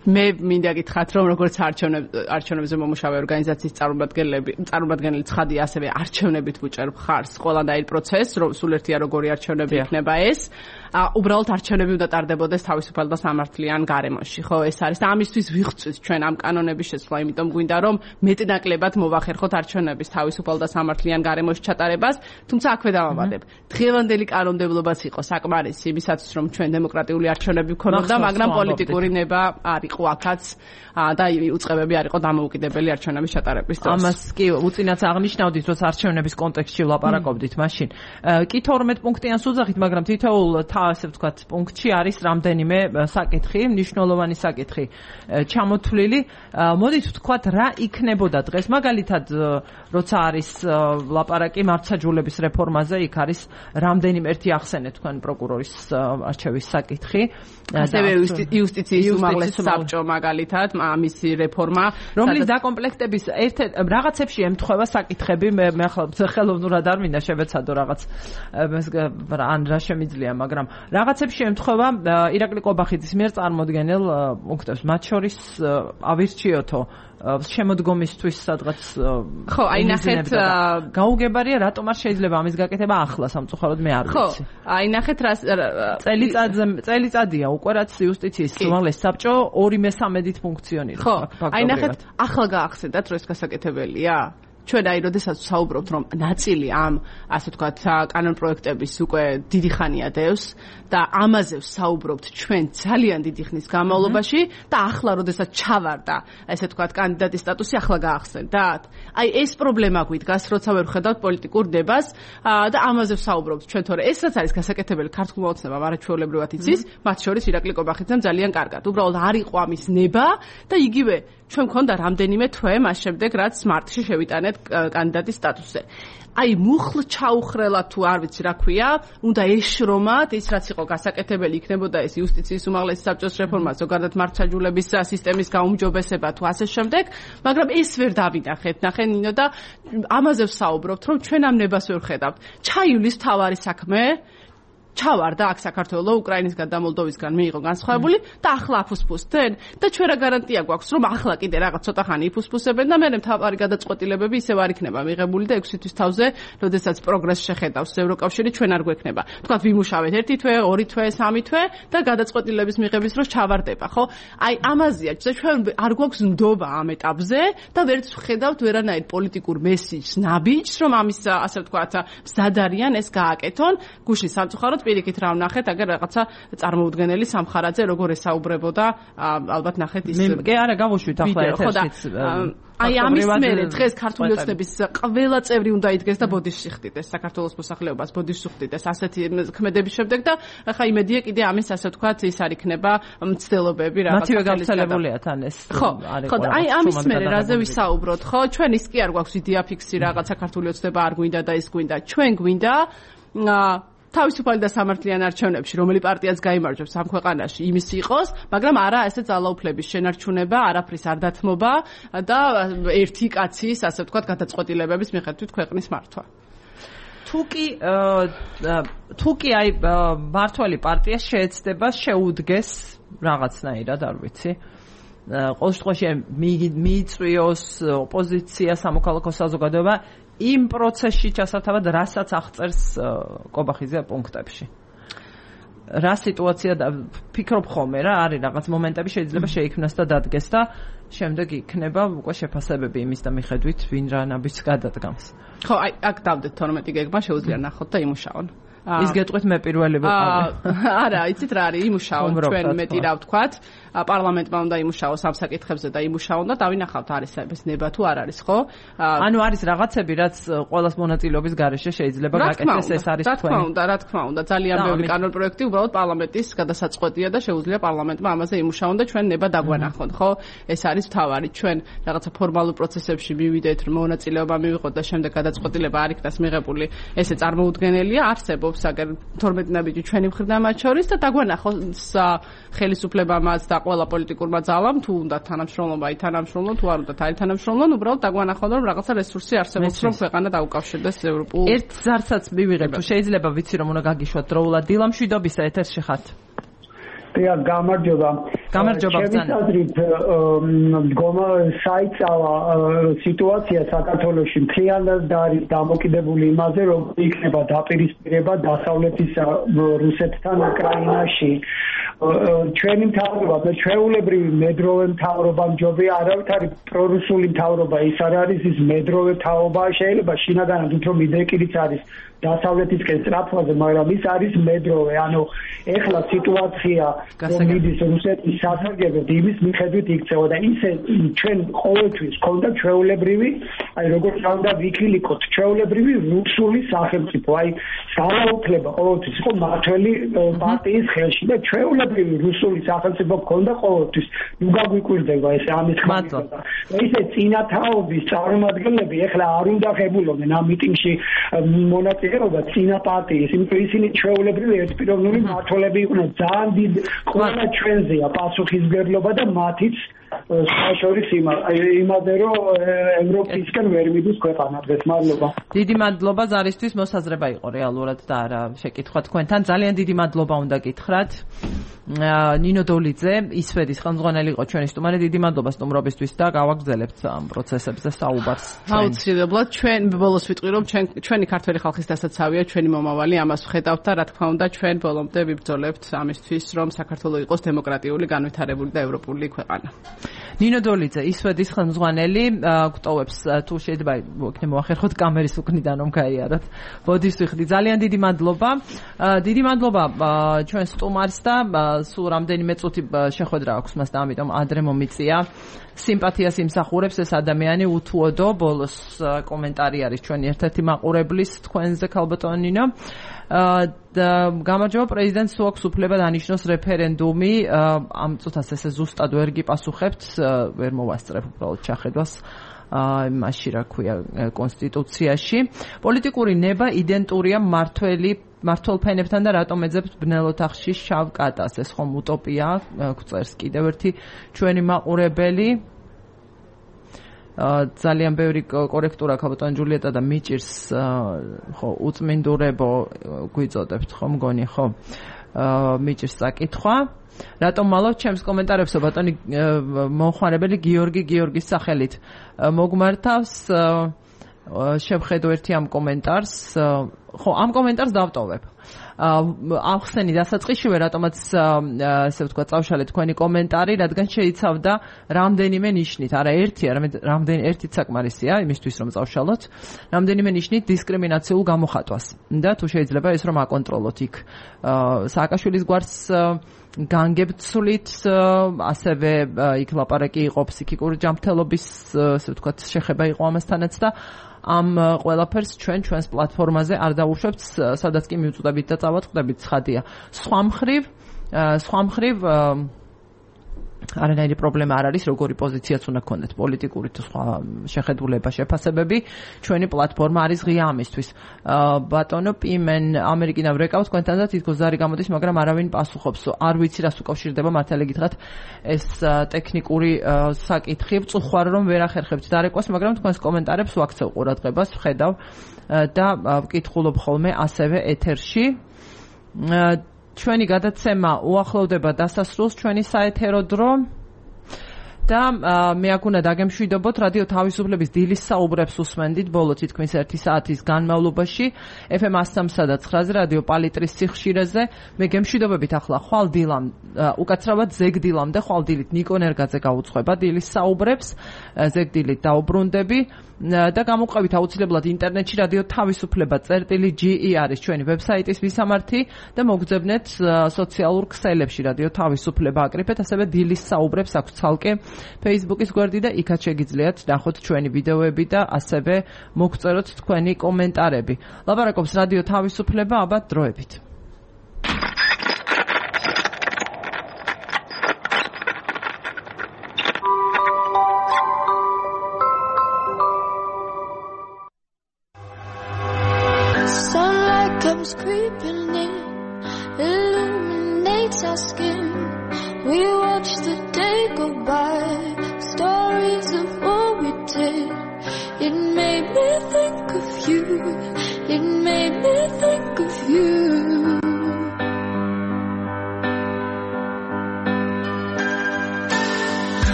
მე მინდა გითხრათ, რომ როგორც არჩევნებზე მომუშავე ორგანიზაციის წარმომადგენელი ცხადია, ასევე არჩევნებით ვუჭერებ ხარს ყველანაირ პროცესს, რომ სულ ერთია როგორი არჩევნები იქნება ეს. უბრალოდ არჩევნები უნდა ტარდებოდეს თავისუფალ და სამართლიან გარემოში, ხო, ეს არის და ამისთვის ვიღწვით ჩვენ ამ კანონების შესვლა, იმიტომ გვინდა რომ მეტნაკლებად მოვახერხოთ არჩევნების თავისუფალ და სამართლიან გარემოში ჩატარებას, თუმცა აქვე დავამატებ. დღევანდელი კანონმდებლობაც იყო საკმარისი იმისათვის, რომ ჩვენ დემოკრატიული არჩევნები ვქონოდა, მაგრამ პოლიტიკური ნება არ იყო აქაც და უწყებები არ იყო დამოუკიდებელი არჩევნების ჩატარების დროს. ამას კი უწინაც აღნიშნავდით, რომ არჩევნების კონტექსტში ვლაპარაკობდით მაშინ. კი 12 პუნქტიან სუძახით, მაგრამ თითოეულ ასე ვთქვათ, პუნქტში არის რამდენიმე საკითხი, მნიშვნელოვანი საკითხი ჩამოთვლილი. მოდით ვთქვათ, რა იქნებოდა დღეს, მაგალითად, როცა არის ლაპარაკი მართლმსაჯულების რეფორმაზე, იქ არის რამდენიმე ერთი ახსენეთ თქვენ პროკურორის არჩევის საკითხი. ასევე იუსტიციის უმაღლეს საბჭო მაგალითად, ამისი რეფორმა, რომლის დაკომპლექტების რაღაცებში ემთხვევა საკითხები, მე ახლა ხელოვნურად არ მინდა შევეცადო რაღაც ან რა შემიძლია, მაგრამ რაღაცებში ემთხვევა ირაკლი ყობახიძის მიერ წარმოდგენილ პუნქტებს, მათ შორის ავირჩიოთო შემოდგომისთვის სადღაც ხო, აი ნახეთ გაუგებარია, რატომ არ შეიძლება ამის გაკეთება ახლა სამწუხაროდ მე არ ვიცი. ხო, აი ნახეთ რა წელიწადია უკვე რაც იუსტიციის უმაღლეს საბჭო 2/3-ით ფუნქციონირებს. ხო, აი ნახეთ ახლა გაახსენდათ, რომ ეს გასაკეთებელია. ჩვენ აი როდესაც საუბრობთ, რომ ნაწილი ამ ასე ვთქვათ კანონპროექტების უკვე დიდი ხანია დევს და ამაზე საუბრობთ ჩვენ ძალიან დიდი ხნის განმავლობაში და ახლა როდესაც ჩავარდა ასე ვთქვათ კანდიდატის სტატუსი, ახლა გაახსენდათ. აი ეს პრობლემა გვიდგას, როცა ვერ ვხედავთ პოლიტიკურ დებას და ამაზე საუბრობთ ჩვენ, თორე ეს რაც არის გასაკეთებელი ქართულმა ოცნებამ არაჩვეულებრივად იცის, მათ შორის ირაკლი ყობახიძემ ძალიან კარგად. უბრალოდ არ იყო ამის ნება და იგივე ჩვენ მქონდა რამდენიმე თვე მას შემდეგ, რაც მარტში შევიტანეთ კანდიდატის სტატუსზე. აი მუხლ ჩაუხრელა თუ არ ვიცი რა ქვია, უნდა ეშრომათ, ის რაც იყო გასაკეთებელი იქნებოდა ეს იუსტიციის უმაღლესი საბჭოს რეფორმა, ზოგადად მართლმსაჯულების სისტემის გაუმჯობესება თუ ასე შემდეგ, მაგრამ ეს ვერ დავინახეთ. ნახე ნინო და ამაზე ვსაუბრობთ, რომ ჩვენ ამ ნებას ვერ ხედავთ. ჩაივლის თავარი საქმე ჩავარდა აქ საქართველოს უკრაინისგან და მოლდოვისგან მიიღო განსხვავებული და ახლა აფუსფუსდნენ და ჩვენ რა გარანტია გვაქვს რომ ახლა კიდე რაღაც ცოტა ხანი იფუსფუსებენ და მე მთავარი გადაწყვეტილებები ისევ არ იქნება მიღებული და 6 თვის თავზე როდესაც პროგრესს შეხედავს ევროკავშირი ჩვენ არ გვექნება თქვათ ვიმუშავეთ 1 თვე 2 თვე 3 თვე და გადაწყვეტილების მიღების დროს ჩავარდება ხო აი ამაზეა ჩვენ არ გვაქვს ნდობა ამ ეტაპზე და ვერც ვხედავთ ვერანაირ პოლიტიკურ მესიჯს ნაბიჯს რომ ამის ასე ვთქვათ მზადარიან ეს გააკეთონ გუშინ სამწუხაროდ პირიქით რა ვნახეთ, აგერ რაღაცა წარმოუდგენელი სამხარაძე როგორ ესაუბრებოდა, ალბათ ნახეთ ის. კი არა, გავუშვით ახლა ეთერშიც. აი ამის მერე დღეს ქართული ოცნების ყველა წევრი უნდა იდგეს და ბოდიშში ხდიდეს საქართველოს მოსახლეობას ბოდიშში ხდიდეს ასეთი ქმედების შემდეგ და ახლა იმედია კიდე ამის ასე ვთქვათ ის არ იქნება მცდელობები რაღაც მათივე გავრცელებულია თან ეს ხო აი ამის მერე რაზე ვისაუბროთ ხო ჩვენ ის კი არ გვაქვს იდეა ფიქსი რაღაც საქართველოს ოცნება არ გვინდა და ის გვინდა ჩვენ გვინდა თავისუფალი და სამართლიანი არჩევნებში რომელი პარტიაც გაიმარჯვებს ამ ქვეყანაში იმის იყოს, მაგრამ არა ესე ძალაუფლების შენარჩუნება, არაფრის არ დათმობა და ერთი კაცის, ასე ვთქვათ, გადაწყვეტილებების მიხედვით ქვეყნის მართვა. თუკი აი მართველი პარტია შეეცდება შეუდგეს რაღაცნაირად, არ ვიცი. ყოველ შემთხვევაში მიიწვიოს ოპოზიცია, სამოქალაქო საზოგადოება იმ პროცესში ჩასათავად, რასაც აღწერს კობახიძე პუნქტებში. რა სიტუაცია და ფიქრობ ხოლმე რა არის რაღაც მომენტები შეიძლება შეიქმნას და დადგეს და შემდეგ იქნება უკვე შეფასებები იმის და მიხედვით ვინ რა ნაბიჯს გადადგამს. ხო, აი აქ დავდეთ 12 გეგმა შეუძლია ნახოთ და იმუშაონ. ის გეტყვით მე პირველი ვიყავი. არა, იცით რა არის, იმუშაონ ჩვენ მეტი რა ვთქვათ, პარლამენტმა უნდა იმუშაოს ამ საკითხებზე და იმუშაონ და დავინახავთ არის ეს ნება თუ არ არის, ხო? ანუ არის რაღაცები, რაც ყოველას მონაწილეობის გარეშე შეიძლება გაკეთდეს, ეს არის თქვენი. რა თქმა უნდა, ძალიან ბევრი კანონპროექტი უბრალოდ პარლამენტის გადასაწყვეტია და შეუძლია პარლამენტმა ამაზე იმუშაონ და ჩვენ ნება დაგვანახოთ, ხო? ეს არის თავარი, ჩვენ რაღაცა ფორმალურ პროცესებში მივიდეთ, მონაწილეობა მივიღოთ და შემდეგ გადაწყვეტილება არ იქნას მიღებული, ესე წარმოუდგენელია, არსებობს აგერ 12 ნაბიჯი ჩვენი მხრიდან მათ შორის და დაგვანახოს ხელისუფლებამაც და ყველა პოლიტიკურმა ძალამ თუ უნდა თანამშრომლობა ითანამშრომლონ თუ არ უნდა თანამშრომლონ უბრალოდ დაგვანახონ რომ რაღაცა რესურსი არსებობს რომ ქვეყანა დაუკავშირდეს ევროპულ ერთ ზარცაც მივიღებ თუ შეიძლება ვიცი რომ უნდა გაგიშვათ დროულად დილამშვიდობისა ეთერში ხართ დიახ გამარჯობა ბრძანა მდგომა საიწავა სიტუაცია საქართველოში მთლიანად არის დამოკიდებული იმაზე რომ იქნება დაპირისპირება დასავლეთის რუსეთთან უკრაინაში ჩვენი მთავრობა და ჩვეულებრივი მედროვე მთავრობა მჯობია არავითარი პრორუსული მთავრობა ის არ არის ის მედროვე მთავრობა შეიძლება შინაგანად უფრო მიდრეკილიც არის დასავლეთისკენ სწრაფვაზე მაგრამ ის არის მედროვე ანუ ეხლა სიტუაცია რომ მიდის რუსეთის სასარგებლოდ იმის მიხედვით იქცევა და ისე ჩვენ ყოველთვის ქონდა ჩვეულებრივი აი როგორც უნდა ვიქილიკოთ ჩვეულებრივი რუსული სახელმწიფო აი ძალაუფლება ყოველთვის იყო მართველი პარტიის ხელში და ჩვეულებრივი რუსული სახელმწიფო ქონდა ყოველთვის ნუ გაგვიკვირდება ეს ამის ხმათა და ისე წინათაობის წარმომადგენლები ეხლა არ უნდა ხებულობდნენ ამ მიტინგში მონაწილეობა წინა პარტიის იმიტომ ისინი ჩვეულებრივი ერთპიროვნული მმართველები იყვნენ ძალიან დიდ ყველა ჩვენზეა პასუხისმგებლობა და მათიც საშორის იმაზე რომ ევროპისკენ ვერ მიდის ქვეყანა დღეს მადლობა დიდი მადლობა ზარისთვის მოსაზრება იყო რეალურად და არა შეკითხვა თქვენთან ძალიან დიდი მადლობა უნდა გითხრათ ნინო დოლიძე ისვედის ხელმძღვანელი იყო ჩვენი სტუმარი დიდი მადლობა სტუმრობისთვის და გავაგრძელებთ ამ პროცესებზე საუბარს აუცილებლად ჩვენ ბოლოს ვიტყვი რომ ჩვენი ქართველი ხალხის დასაცავია ჩვენი მომავალი ამას ვხედავთ და რა თქმა უნდა ჩვენ ბოლომდე ვიბრძოლებთ ამისთვის რომ საქართველოს იყოს დემოკრატიული განვითარებული და ევროპული ქვეყანა ნინო დოლიძე ისვედის ხელმძღვანელი გვტოვებს თუ შეიძლება იქნება მოახერხოთ კამერის უკნიდან რომ გაიაროთ ბოდიშს ვიხდი ძალიან დიდი მადლობა ჩვენ სტუმარს და სულ რამდენიმე წუთი შეხვედრა აქვს მას და ამიტომ ადრე მომიწია სიმპათიას იმსახურებს ეს ადამიანი უთუოდო ბოლოს კომენტარი არის ჩვენი ერთ-ერთი მაყურებლის თქვენზე ქალბატონო ნინო გამარჯობა პრეზიდენტს თუ აქვს უფლება დანიშნოს რეფერენდუმი ამ წუთას ესე ზუსტად ვერ გიპასუხებთ ვერ მოვასწრებ უბრალოდ ჩახედვას მასში რა ქვია კონსტიტუციაში პოლიტიკური ნება იდენტურია მართლ ფენებთან და რატომ ეძებთ ბნელ ოთახში შავ კატას ეს ხომ უტოპია გვწერს კიდევ ერთი ჩვენი მაყურებელი ძალიან ბევრი კორექტურა ქალბატონი ჯულიეტა და მიჭირს ხო უწმინდურებო გვიწოდებთ ხო მგონი ხო მიჭირს საკითხვა რატომ მალავთ ჩემს კომენტარებსო ბატონი მომხმარებელი გიორგის სახელით მოგმართავს შევხედო ერთი ამ კომენტარს ხო ამ კომენტარს დავტოვებ ახსენი დასაწყისშივე რატომაც ესე ვთქვა წავშალეთ თქვენი კომენტარი, რადგან შეიცავდა რამდენიმე ნიშნით, არა ერთი, არამედ ერთით საკმარისია იმისთვის რომ წავშალოთ, რამდენიმე ნიშნით დისკრიმინაციულ გამოხატვას. და თუ შეიძლება ეს რომ აკონტროლოთ იქ სააკაშვილის გვარს განგებცვლით, ასევე იქ ლაპარაკი იყო ფსიქიკური ჯანმრთელობის, ასე ვთქვათ, შეხება იყო ამასთანაც და ამ ყველაფერს ჩვენს პლატფორმაზე არ დავუშვებთ, სადაც კი მივწვდებით და წავატყდებით, ცხადია. სხვა მხრივ არანაირი პრობლემა არ არის, როგორი პოზიციაც უნდა გქონდეთ, პოლიტიკური თუ სხვა შეხედულება, შეფასებები, ჩვენი პლატფორმა არის ღია ამისთვის. ბატონო პიმენ, ამერიკიდან ვრეკავ თქვენთან და თითქოს ზარი გამოდის, მაგრამ არავინ პასუხობს. არ ვიცი რას უკავშირდება, მართალი გითხრათ, ეს ტექნიკური საკითხი, წუხარ რომ ვერ ახერხებთ დარეკვას, მაგრამ თქვენს კომენტარებს ვაქცევ ყურადღებას, ვხედავ და ვკითხულობ ხოლმე ასევე ეთერში. ჩვენი გადაცემა უახლოვდება დასასრულს, ჩვენი საეთერო დრო და მე აქ უნდა დაგემშვიდობოთ, რადიო თავისუფლების დილის საუბრებს უსმენდით ბოლო თითქმის 1 საათის განმავლობაში FM 103 და 9-ზე რადიო პალიტრის სიხშირეზე. მე გემშვიდობებით ახლა ხვალ დილამ, უკაცრავად ზეგდილამდე ხვალ დილით ნიკო ნერგაძე გაუძღვება დილის საუბრებს, ზეგდილით დაუბრუნდები და გამოყვებით აუცილებლად ინტერნეტში რადიო თავისუფლება წერტილი.ge არის ჩვენი ვებსაიტის მისამართი და მოგძებნეთ სოციალურ ქსელებში რადიო თავისუფლება აკრიფეთ, ასევე დილის საუბრებს აქვს ცალკე Facebook-ის გვერდი და იქაც შეგიძლიათ ნახოთ ჩვენი ვიდეოები და ასევე მოგწეროთ თქვენი კომენტარები. ლაპარაკობს რადიო თავისუფლება, აბა დროებით. Comes creeping in, illuminates our skin. We watch the day go by, stories of what we did. It made me think of you, it made me think of you.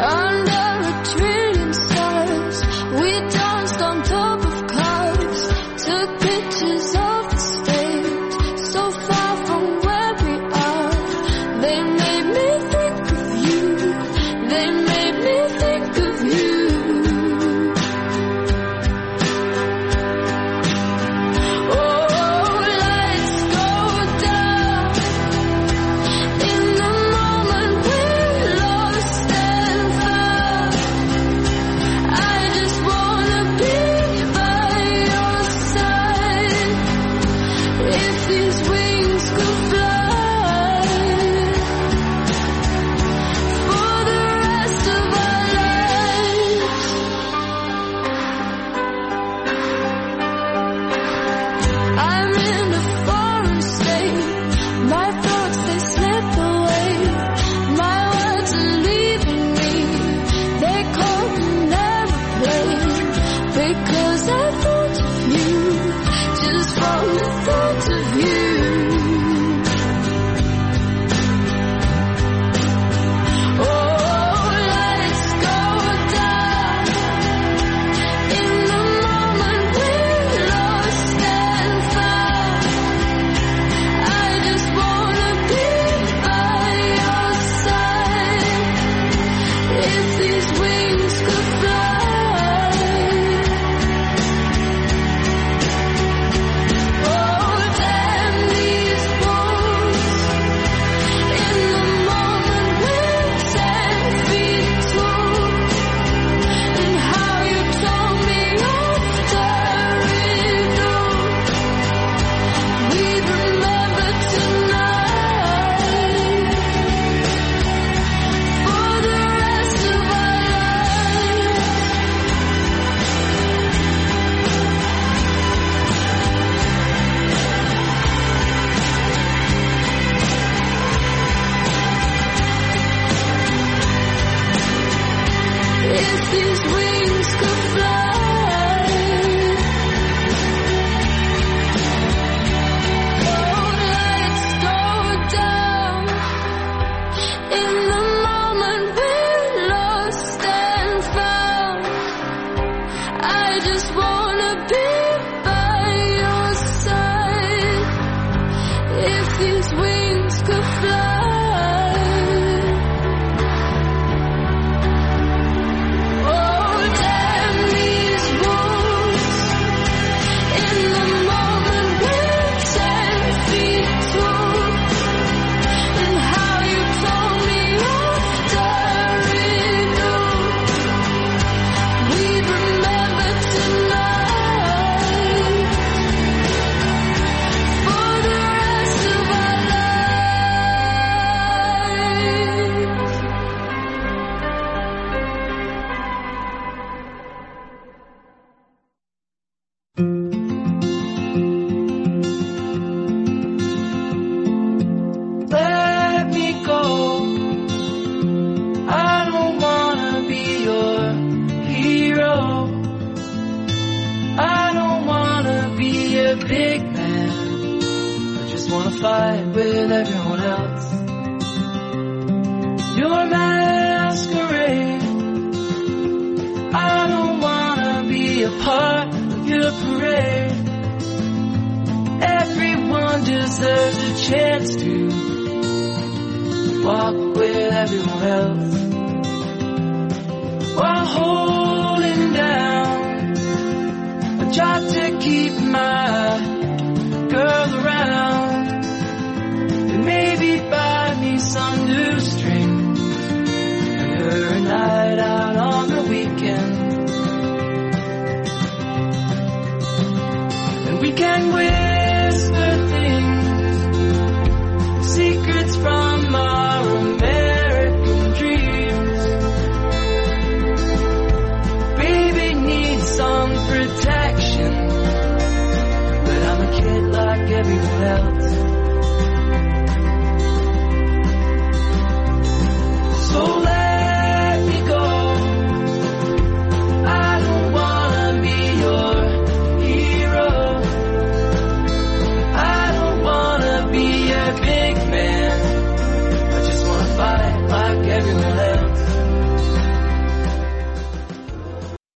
Under a trillion stars, we danced on top of cars, took pictures of big man. I just wanna fight with everyone else. Your masquerade. I don't wanna be a part of your parade. Everyone deserves a chance to walk with everyone else while holding down. I try to keep my girl around and maybe buy me some new strings and her a night out on the weekend. And we can whisper things, secrets from our American dreams. Baby needs some protection, but I'm a kid like everyone else.